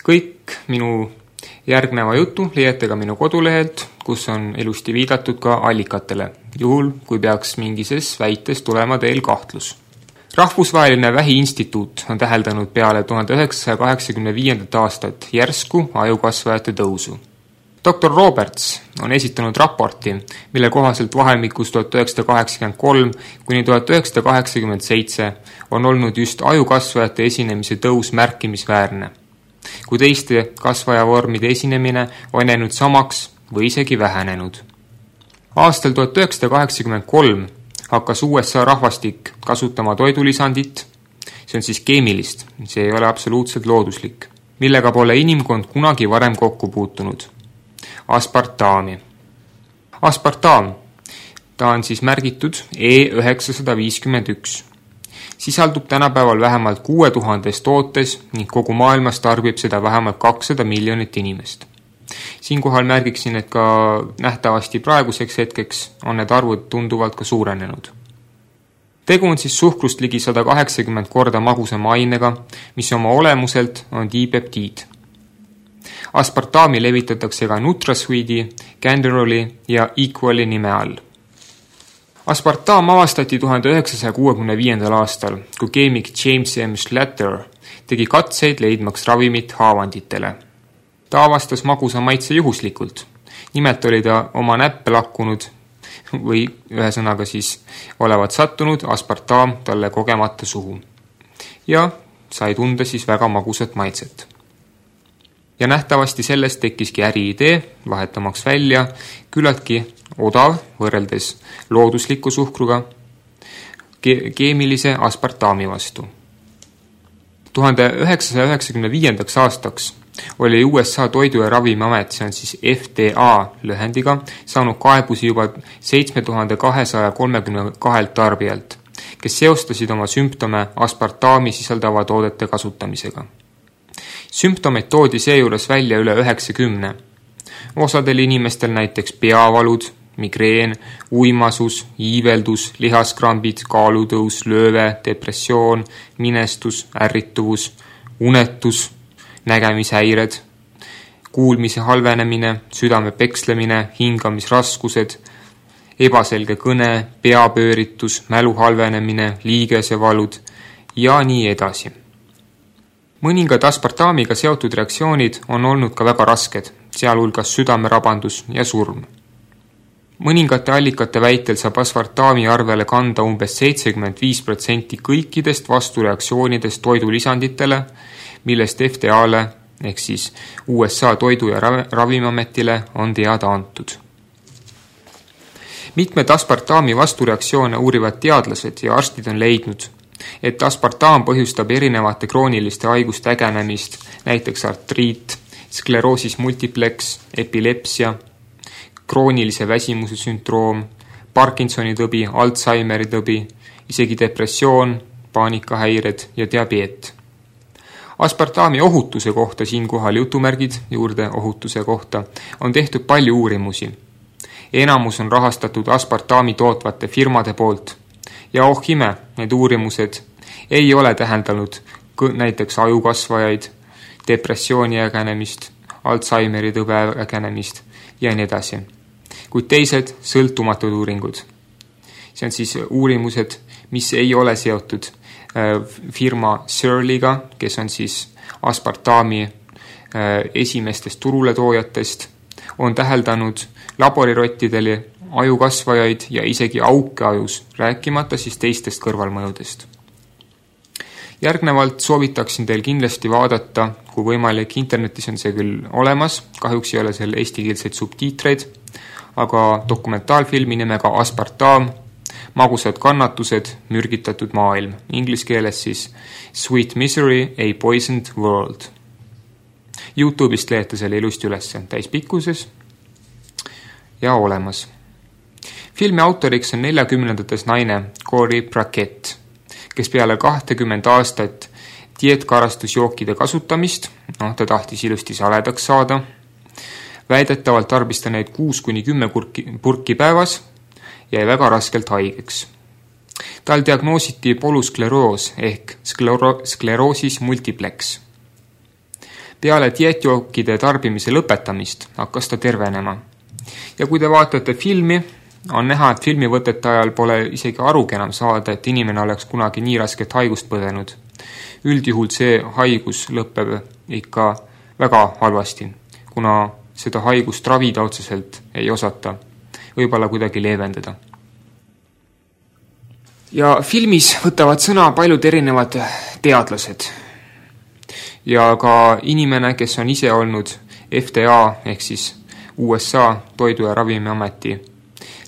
Kõik minu järgneva jutu leiate ka minu kodulehelt, kus on ilusti viidatud ka allikatele, juhul kui peaks mingises väites tulema teil kahtlus. Rahvusvaheline Vähiinstituut on täheldanud peale tuhande üheksasaja kaheksakümne viiendat aastat järsku ajukasvajate tõusu. doktor Roberts on esitanud raporti, mille kohaselt vahemikus tuhat üheksasada kaheksakümmend kolm kuni tuhat üheksasada kaheksakümmend seitse on olnud just ajukasvajate esinemise tõus märkimisväärne, kui teiste kasvajavormide esinemine on jäänud samaks või isegi vähenenud. Aastal tuhat üheksasada kaheksakümmend kolm hakkas U S A rahvastik kasutama toidulisandit, see on siis keemilist, see ei ole absoluutselt looduslik, millega pole inimkond kunagi varem kokku puutunud. Aspartaami. Aspartaam, ta on siis märgitud E üheksasada viiskümmend üks. Sisaldub tänapäeval vähemalt kuue tuhandes tootes ning kogu maailmas tarbib seda vähemalt kakssada miljonit inimest. Siinkohal märgiksin, et ka nähtavasti praeguseks hetkeks on need arvud tunduvalt ka suurenenud. Tegu on siis suhkrust ligi sada kaheksakümmend korda magusama ainega, mis oma olemuselt on dipeptiid. Aspartaami levitatakse ka Nutrasweeti, Canderoli ja Equali nime all. Aspartaam avastati tuhande üheksasaja kuuekümne viiendal aastal, kui keemik James M. Schlatter tegi katseid leidmaks ravimit haavanditele. Ta avastas magusa maitse juhuslikult. Nimelt oli ta oma näppe lakkunud või ühesõnaga siis olevat sattunud aspartaam talle kogemata suhu. Ja sai tunda siis väga magusat maitset. Ja nähtavasti sellest tekkiski äriidee, vahetamaks välja küllaltki odav võrreldes loodusliku suhkruga ke- keemilise aspartaami vastu. tuhande üheksasaja üheksakümne viiendaks aastaks oli U S A Toidu- ja Ravimiamet, see on siis F D A lühendiga, saanud kaebusi juba seitse tuhat kahesaja kolmekümne kahelt tarbijalt, kes seostasid oma sümptome aspartaami sisaldava toodete kasutamisega. Sümptomeid toodi seejuures välja üle üheksakümne. Osadel inimestel näiteks peavalud, migreen, uimasus, iiveldus, lihaskrambid, kaalutõus, lööve, depressioon, minestus, ärrituvus, unetus, nägemishäired, kuulmise halvenemine, südame pekslemine, hingamisraskused, ebaselge kõne, peapööritus, mälu halvenemine, liigesevalud ja nii edasi. Mõningad aspartaamiga seotud reaktsioonid on olnud ka väga rasked, sealhulgas südamerabandus ja surm. Mõningate allikate väitel saab aspartaami arvele kanda umbes seitsekümmend viis protsenti kõikidest vastureaktsioonidest toidulisanditele, millest F D A-le ehk siis U S A Toidu- ja Ravimiametile on teada antud. Mitmed aspartaami vastureaktsioone uurivad teadlased ja arstid on leidnud, et aspartaam põhjustab erinevate krooniliste haiguste ägenemist, näiteks artriit, skleroosis multiplex, epilepsia, kroonilise väsimuse sündroom, Parkinsoni tõbi, Alzheimeri tõbi, isegi depressioon, paanikahäired ja diabeet. Aspartaami ohutuse kohta siinkohal jutumärgid juurde ohutuse kohta on tehtud palju uurimusi. Enamus on rahastatud aspartaami tootvate firmade poolt ja oh ime, need uurimused ei ole tähendanud näiteks ajukasvajaid, depressiooni ägenemist, Alzheimeri tõbe ägenemist ja nii edasi. Kuid teised sõltumatud uuringud. See on siis uurimused, mis ei ole seotud firma Surlyga, kes on siis aspartaami esimestest turuletoojatest, on täheldanud laborirottidele ajukasvajaid ja isegi auke ajus, rääkimata siis teistest kõrvalmõjudest. Järgnevalt soovitaksin teil kindlasti vaadata, kui võimalik, internetis on see küll olemas, kahjuks ei ole seal eestikeelseid subtiitreid, aga dokumentaalfilmi nimega Aspartaam, magusad kannatused, mürgitatud maailm, inglis keeles siis Sweet Misery, a Poisoned World. YouTube'ist leete selle ilusti üles täispikkuses ja olemas. Filmi autoriks on neljakümnendates naine Corey Brackett, kes peale kahtekümmend aastat dieetkarastusjookide kasutamist, noh, ta tahtis ilusti saledaks saada, väidetavalt tarbis ta neid kuus kuni kümme purki, purki päevas, jäi väga raskelt haigeks. Tal diagnoositi poluskleroos ehk sklero- skleroosis multiplex. Peale dieetjookide tarbimise lõpetamist hakkas ta tervenema. Ja kui te vaatate filmi, on näha, et filmivõtete ajal pole isegi arugi enam saada, et inimene oleks kunagi nii rasket haigust põdenud. Üldjuhul see haigus lõpeb ikka väga halvasti, kuna seda haigust ravida otseselt ei osata, võib-olla kuidagi leevendada. Ja filmis võtavad sõna paljud erinevad teadlased ja ka inimene, kes on ise olnud F D A ehk siis U S A Toidu- ja Ravimiameti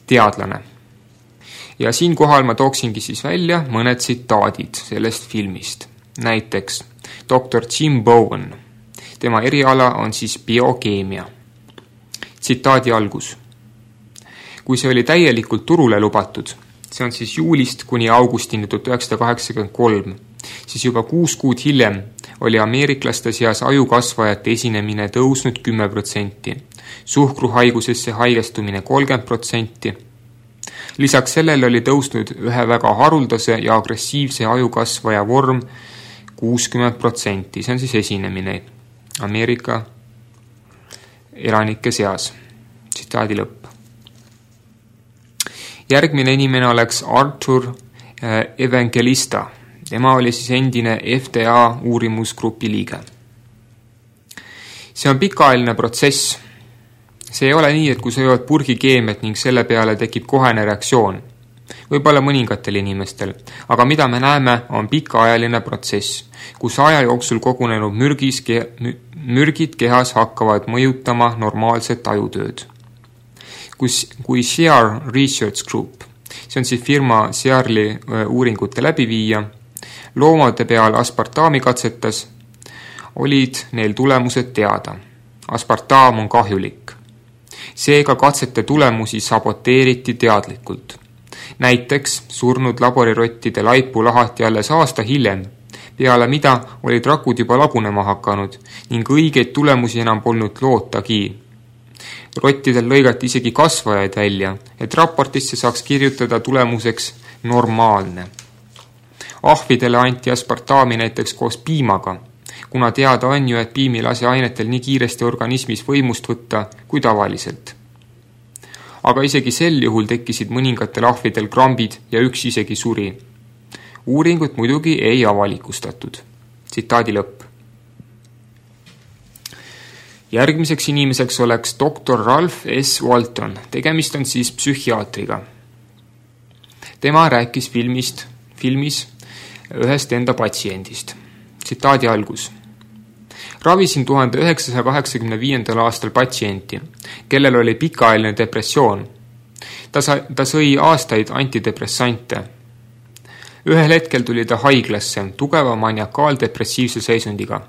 teadlane. Ja siinkohal ma tooksingi siis välja mõned tsitaadid sellest filmist. Näiteks doktor Jim Bowen. Tema eriala on siis biokeemia. Tsitaadi algus. Kui see oli täielikult turule lubatud, see on siis juulist kuni augustini tuhat üheksasada kaheksakümmend kolm, siis juba kuus kuud hiljem oli ameeriklaste seas ajukasvajate esinemine tõusnud kümme protsenti, suhkruhaigusesse haigestumine kolmkümmend protsenti. Lisaks sellele oli tõusnud ühe väga haruldase ja agressiivse ajukasvaja vorm kuuskümmend protsenti, see on siis esinemine Ameerika elanike seas. Tsitaadi lõpp. Järgmine inimene oleks Arthur Evangelista. Tema oli siis endine F D A uurimusgrupi liige. See on pikaajaline protsess. See ei ole nii, et kui sa jood purgikeemiat ning selle peale tekib kohene reaktsioon. Võib-olla mõningatel inimestel, aga mida me näeme, on pikaajaline protsess, kus aja jooksul kogunenud mürgis, mürgid kehas hakkavad mõjutama normaalset ajutööd. Kus, kui Sear Research Group, see on siis firma Searli uuringute läbiviija, loomade peal aspartaami katsetas, olid neil tulemused teada. Aspartaam on kahjulik. Seega katsete tulemusi saboteeriti teadlikult. Näiteks surnud laborirottide laipu lahati alles aasta hiljem, peale mida olid rakud juba lagunema hakanud ning õigeid tulemusi enam polnud lootagi. Rottidel lõigati isegi kasvajaid välja, et raportisse saaks kirjutada tulemuseks normaalne. Ahvidele anti aspartaami näiteks koos piimaga, kuna teada on ju, et piim ei lase ainetel nii kiiresti organismis võimust võtta kui tavaliselt. Aga isegi sel juhul tekkisid mõningatel ahvidel krambid ja üks isegi suri. Uuringut muidugi ei avalikustatud. Tsitaadi lõpp. Järgmiseks inimeseks oleks doktor Ralph S. Walton. Tegemist on siis psühhiaatriga. Tema rääkis filmist, filmis ühest enda patsiendist. Tsitaadi algus. Ravisin tuhande üheksasaja kaheksakümne viiendal aastal patsienti, kellel oli pikaajaline depressioon. Ta, sa, ta sõi aastaid antidepressante. Ühel hetkel tuli ta haiglasse tugeva maniakaaldepressiivse seisundiga.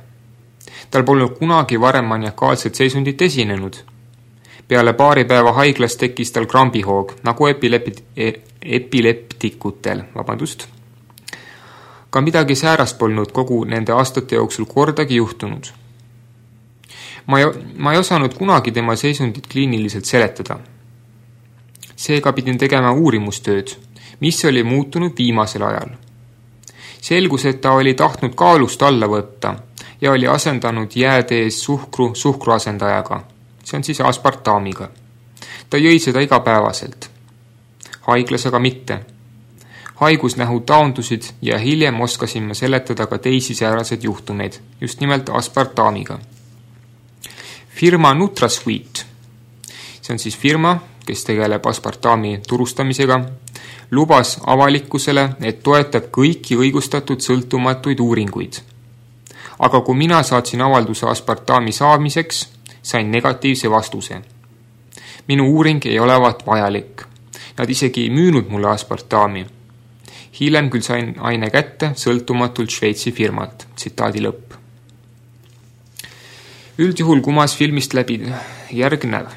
Tal polnud kunagi varem maniakaalset seisundit esinenud. Peale paari päeva haiglas tekkis tal krambihoog, nagu epilepti, epileptikutel. Vabandust. Ka midagi säärast polnud kogu nende aastate jooksul kordagi juhtunud. Ma ei, ma ei osanud kunagi tema seisundit kliiniliselt seletada. Seega pidin tegema uurimustööd, mis oli muutunud viimasel ajal. Selgus, et ta oli tahtnud kaalust alla võtta ja oli asendanud jäädees suhkru suhkruasendajaga. See on siis aspartaamiga. Ta jõi seda igapäevaselt. Haiglas aga mitte. Haigusnähud taundusid ja hiljem oskasime seletada ka teisi säärased juhtumeid, just nimelt aspartaamiga. Firma NutraSweet, see on siis firma, kes tegeleb aspartaami turustamisega, lubas avalikkusele, et toetab kõiki õigustatud sõltumatuid uuringuid. Aga kui mina saatsin avalduse aspartaami saamiseks, sain negatiivse vastuse. Minu uuring ei olevat vajalik. Nad isegi ei müünud mulle aspartaami. Hiljem küll sain aine kätte sõltumatult Šveitsi firmalt. Tsitaadi lõpp. Üldjuhul kumas filmist läbi järgnev.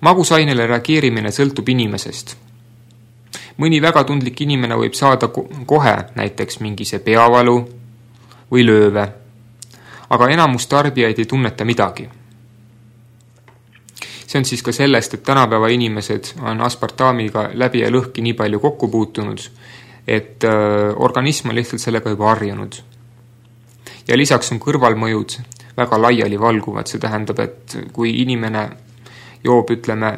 Magusainele reageerimine sõltub inimesest. Mõni väga tundlik inimene võib saada kohe näiteks mingise peavalu või lööve, aga enamus tarbijaid ei tunneta midagi. See on siis ka sellest, et tänapäeva inimesed on aspartaamiga läbi ja lõhki nii palju kokku puutunud, et organism on lihtsalt sellega juba harjunud. Ja lisaks on kõrvalmõjud väga laiali valguvad. See tähendab, et kui inimene joob, ütleme,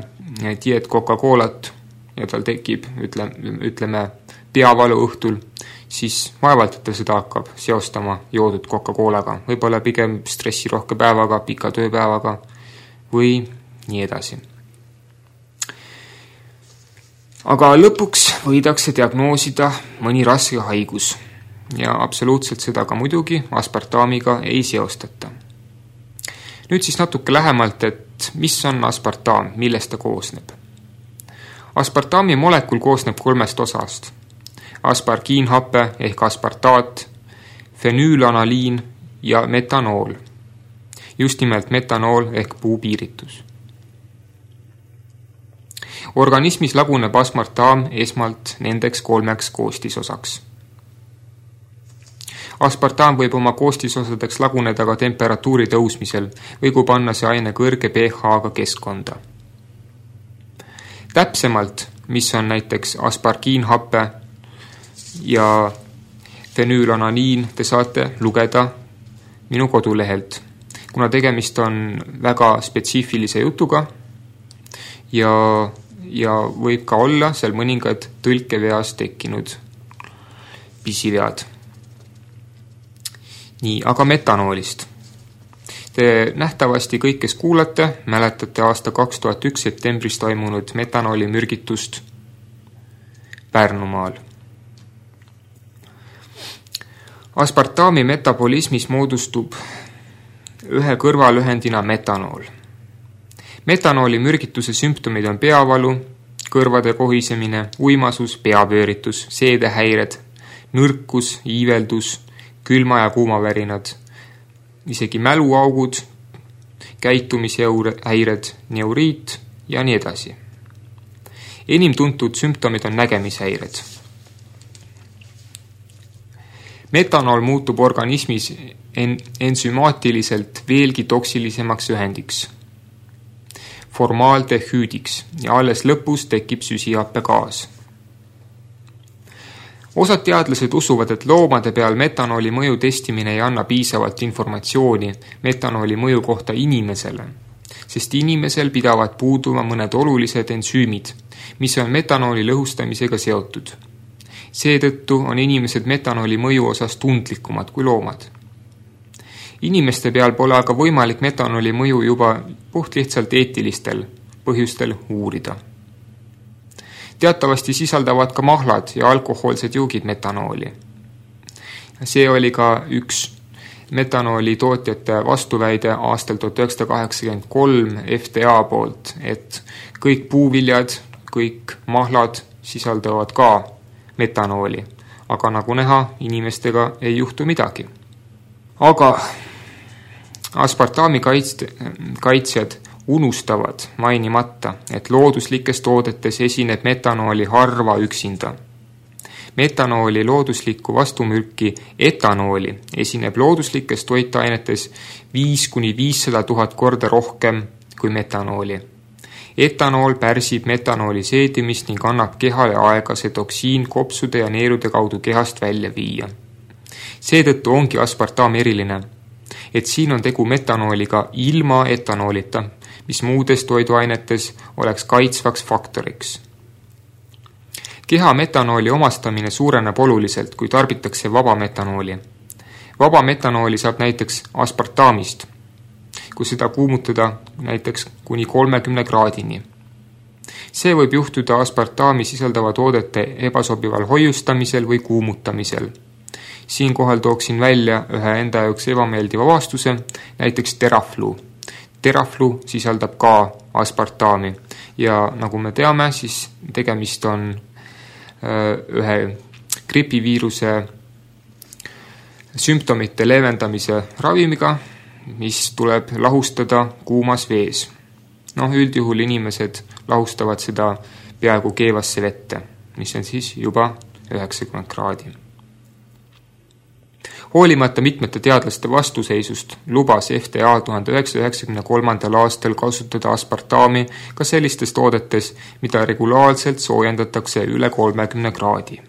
diet Coca-Colat ja tal tekib, ütleme, ütleme peavalu õhtul, siis vaevalt, et ta seda hakkab seostama joodud Coca-Colaga. Võib-olla pigem stressirohke päevaga, pika tööpäevaga või nii edasi. Aga lõpuks võidakse diagnoosida mõni raske haigus ja absoluutselt seda ka muidugi aspartaamiga ei seostata. Nüüd siis natuke lähemalt, et mis on aspartaam, millest ta koosneb. Aspartaami molekul koosneb kolmest osast. Aspargiinhappe ehk aspartaat, fenüülanaliin ja metanool. Just nimelt metanool ehk puupiiritus. Organismis laguneb aspartaam esmalt nendeks kolmeks koostisosaks. Aspartaam võib oma koostisosadeks laguneda ka temperatuuri tõusmisel või kui panna see aine kõrge pH-ga keskkonda. Täpsemalt, mis on näiteks aspargiinhappe ja fenüülanaliin, te saate lugeda minu kodulehelt, kuna tegemist on väga spetsiifilise jutuga ja, ja võib ka olla seal mõningad tõlkeveas tekkinud pisivead. Nii, aga metanoolist. Te nähtavasti kõik, kes kuulate, mäletate aasta kaks tuhat üks septembris toimunud metanooli mürgitust Pärnumaal. Aspartaami metabolismis moodustub ühe kõrvalühendina metanool. Metanooli mürgituse sümptomid on peavalu, kõrvade kohisemine, uimasus, peapööritus, seedehäired, nõrkus, iiveldus, külma- ja kuumavärinad, isegi mäluaugud, käitumishäired, neuriit ja nii edasi. Enim tuntud sümptomid on nägemishäired. Metanool muutub organismis en- ensümaatiliselt veelgi toksilisemaks ühendiks, formaaldehüüdiks ja alles lõpus tekib süsihappegaas. Osad teadlased usuvad, et loomade peal metanooli mõju testimine ei anna piisavalt informatsiooni metanooli mõju kohta inimesele, sest inimesel pidavad puuduma mõned olulised ensüümid, mis on metanooli lõhustamisega seotud. Seetõttu on inimesed metanooli mõju osas tundlikumad kui loomad. Inimeste peal pole aga võimalik metanooli mõju juba puht lihtsalt eetilistel põhjustel uurida. Teatavasti sisaldavad ka mahlad ja alkohoolsed juugid metanooli. See oli ka üks metanooli tootjate vastuväide aastal tuhat üheksasada kaheksakümmend kolm F D A poolt, et kõik puuviljad, kõik mahlad sisaldavad ka metanooli, aga nagu näha, inimestega ei juhtu midagi. Aga aspartaami kaitsjad unustavad mainimata, et looduslikes toodetes esineb metanooli harva üksinda. Metanooli looduslikku vastumürki etanooli esineb looduslikes toitainetes viis kuni viissada tuhat korda rohkem kui metanooli. Etanool pärsib metanooli seedimist ning annab kehale aega see toksiin kopsude ja neerude kaudu kehast välja viia. Seetõttu ongi aspartaam eriline, et siin on tegu metanooliga ilma etanoolita, mis muudes toiduainetes oleks kaitsvaks faktoriks. Keha metanooli omastamine suureneb oluliselt, kui tarbitakse vaba metanooli. Vaba metanooli saab näiteks aspartaamist, kui seda kuumutada näiteks kuni kolmekümne kraadini. See võib juhtuda aspartaami sisaldava toodete ebasobival hoiustamisel või kuumutamisel. Siinkohal tooksin välja ühe enda jaoks ebameeldiva vastuse, näiteks teraflu. Teraflu sisaldab ka aspartaami ja nagu me teame, siis tegemist on ühe gripiviiruse sümptomite leevendamise ravimiga, mis tuleb lahustada kuumas vees. Noh, üldjuhul inimesed lahustavad seda peaaegu keevasse vette, mis on siis juba üheksakümmend kraadi. Hoolimata mitmete teadlaste vastuseisust lubas F D A tuhat üheksasada üheksakümne kolmandal aastal kasutada aspartaami ka sellistes toodetes, mida regulaarselt soojendatakse üle kolmekümne kraadi.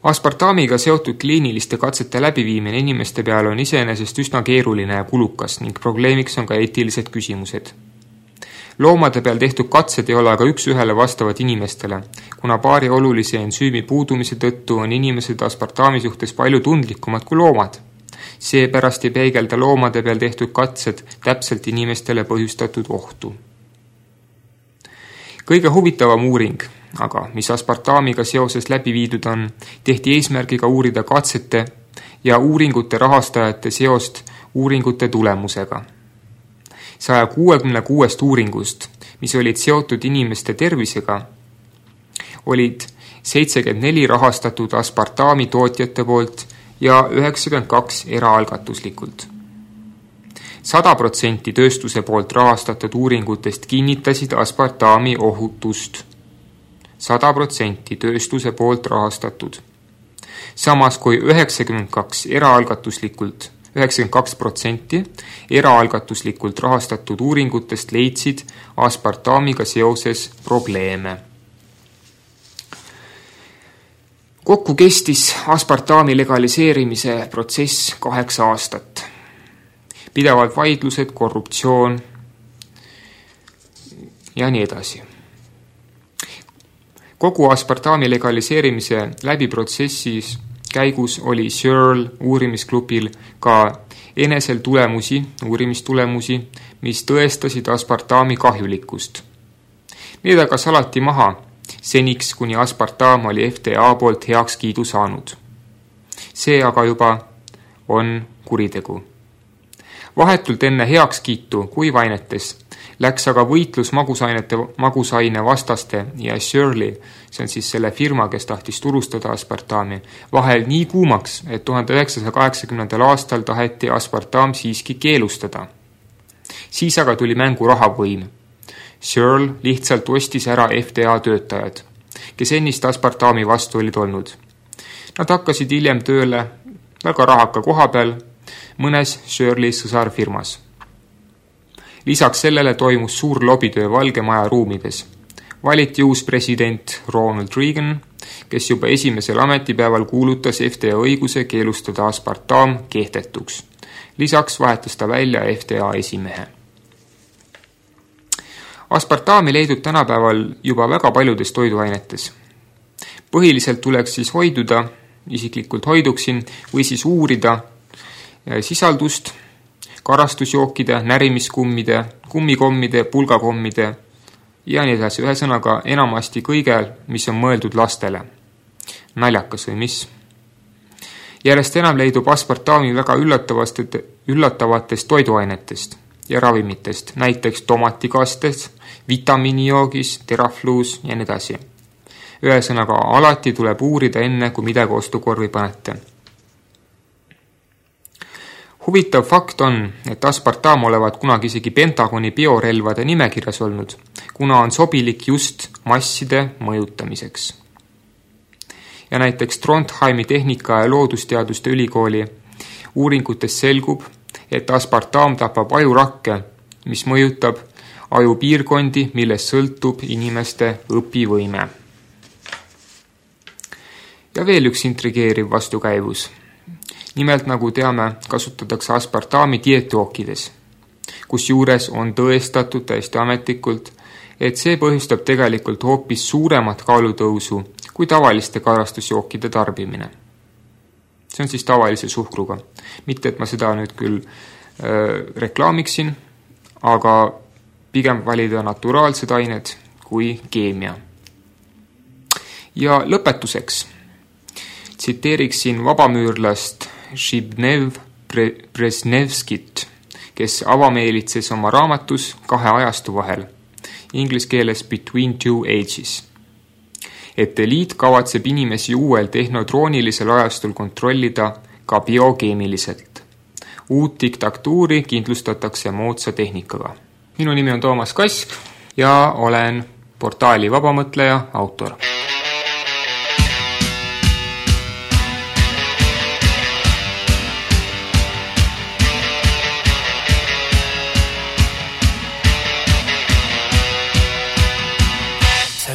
Aspartaamiga seotud kliiniliste katsete läbiviimine inimeste peale on iseenesest üsna keeruline ja kulukas ning probleemiks on ka eetilised küsimused. Loomade peal tehtud katsed ei ole aga üks ühele vastavad inimestele, kuna paari olulise ensüümi puudumise tõttu on inimesed aspartaami suhtes palju tundlikumad kui loomad. Seepärast ei peegelda loomade peal tehtud katsed täpselt inimestele põhjustatud ohtu. Kõige huvitavam uuring, aga mis aspartaamiga seoses läbi viidud on, tehti eesmärgiga uurida katsete ja uuringute rahastajate seost uuringute tulemusega. saja kuuekümne kuuest uuringust, mis olid seotud inimeste tervisega, olid seitsekümmend neli rahastatud aspartaami tootjate poolt ja üheksakümmend kaks eraalgatuslikult. sada protsenti tööstuse poolt rahastatud uuringutest kinnitasid aspartaami ohutust. sada protsenti tööstuse poolt rahastatud. Samas kui üheksakümmend kaks eraalgatuslikult üheksakümmend kaks protsenti eraalgatuslikult rahastatud uuringutest leidsid aspartaamiga seoses probleeme. Kokku kestis aspartaami legaliseerimise protsess kaheksa aastat. Pidevalt vaidlused, korruptsioon ja nii edasi. Kogu aspartaami legaliseerimise läbi protsessis käigus oli Searle uurimisklubil ka enesel tulemusi, uurimistulemusi, mis tõestasid aspartaami kahjulikkust. Need aga salati maha, seniks kuni aspartaam oli F D A poolt heaks kiidu saanud. See aga juba on kuritegu. Vahetult enne heakskiitu kuivainetes läks aga võitlus magusainete, magusaine vastaste ja Shirley, see on siis selle firma, kes tahtis turustada aspartami, vahel nii kuumaks, et tuhande üheksasaja kaheksakümnendal aastal taheti aspartam siiski keelustada. Siis aga tuli mängu rahavõim. Shirley lihtsalt ostis ära F D A töötajad, kes ennist aspartami vastu olid olnud. Nad hakkasid hiljem tööle väga rahaka koha peal mõnes Shirley sõsarfirmas. Lisaks sellele toimus suur lobitöö Valge Maja ruumides. Valiti uus president Ronald Reagan, kes juba esimesel ametipäeval kuulutas F D A õiguse keelustada aspartam kehtetuks. Lisaks vahetas ta välja F D A esimehe. Aspartami leidub tänapäeval juba väga paljudes toiduainetes. Põhiliselt tuleks siis hoiduda, isiklikult hoiduksin, või siis uurida sisaldust, karastusjookide, närimiskummide, kummikommide, pulgakommide ja nii edasi. Ühesõnaga enamasti kõige, mis on mõeldud lastele. Naljakas või mis? Järjest enam leidub aspartami väga üllatavatest toiduainetest ja ravimitest, näiteks tomatikastes, vitamiinijoogis, terafluus ja nii edasi. Ühesõnaga alati tuleb uurida enne, kui midagi ostukorvi panete. Huvitav fakt on, et aspartam olevat kunagi isegi Pentagoni biorelvade nimekirjas olnud, kuna on sobilik just masside mõjutamiseks. Ja näiteks Trondheimi tehnika- ja loodusteaduste ülikooli uuringutes selgub, et aspartam tapab ajurakke, mis mõjutab ajupiirkondi, millest sõltub inimeste õpivõime. Ja veel üks intrigeeriv vastukäivus. Nimelt, nagu teame, kasutatakse aspartami dieetjookides, kus juures on tõestatud täiesti ametlikult, et see põhjustab tegelikult hoopis suuremat kaalutõusu kui tavaliste karastusjookide tarbimine. See on siis tavalise suhkruga. Mitte, et ma seda nüüd küll äh, reklaamiksin, aga pigem valida naturaalsed ained kui keemia. Ja lõpetuseks tsiteeriksin vabamüürlast Zbigniew Brzezinskit, kes avameelitses oma raamatus kahe ajastu vahel, inglis keeles Between Two Ages, et eliit kavatseb inimesi uuel tehnotroonilisel ajastul kontrollida ka biokeemiliselt. Uut diktatuuri kindlustatakse moodsa tehnikaga. Minu nimi on Toomas Kask ja olen portaali Vabamõtleja autor.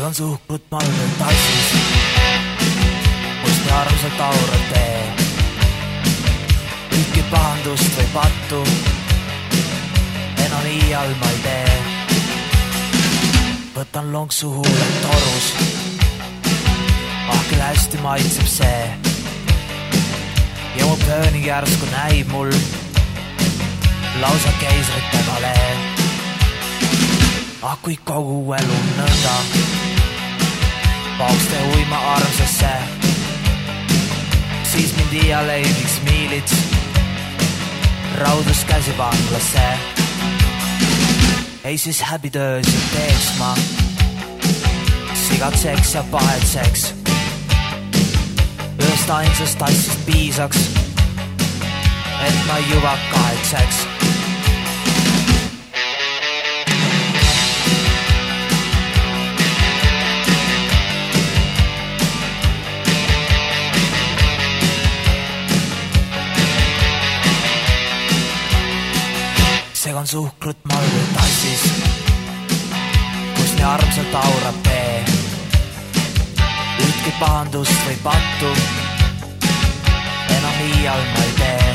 On suhkrut malvel tassis, kust me armsalt aurad tee. Ükki pahandust või pattu, enam iial ma ei tee. Võtan lonksu huuled torus, ah küll hästi maitseb see. Ja mu pöönig järsku näib mul lausa keisrite valee. Ah kui kogu elu nõnda paukste uima armsasse, siis mind iial ei viiks miilits raudus käsivanglasse. Ei siis häbitöös ja teeks ma sigatseks ja pahetseks. Ühest ainsast tassist piisaks, et ma juba kahetseks. Segan suhkrut malvel tassis, kus nii armsalt aurab tee. Ütki pahandust või pattu, enam iial ma ei tee.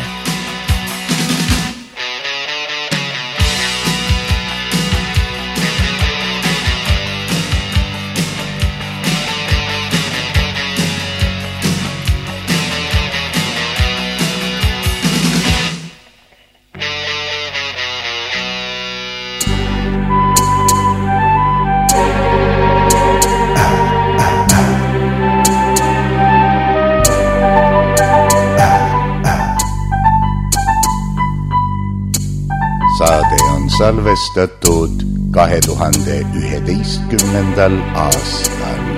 saade on salvestatud kahe tuhande üheteistkümnendal aastal.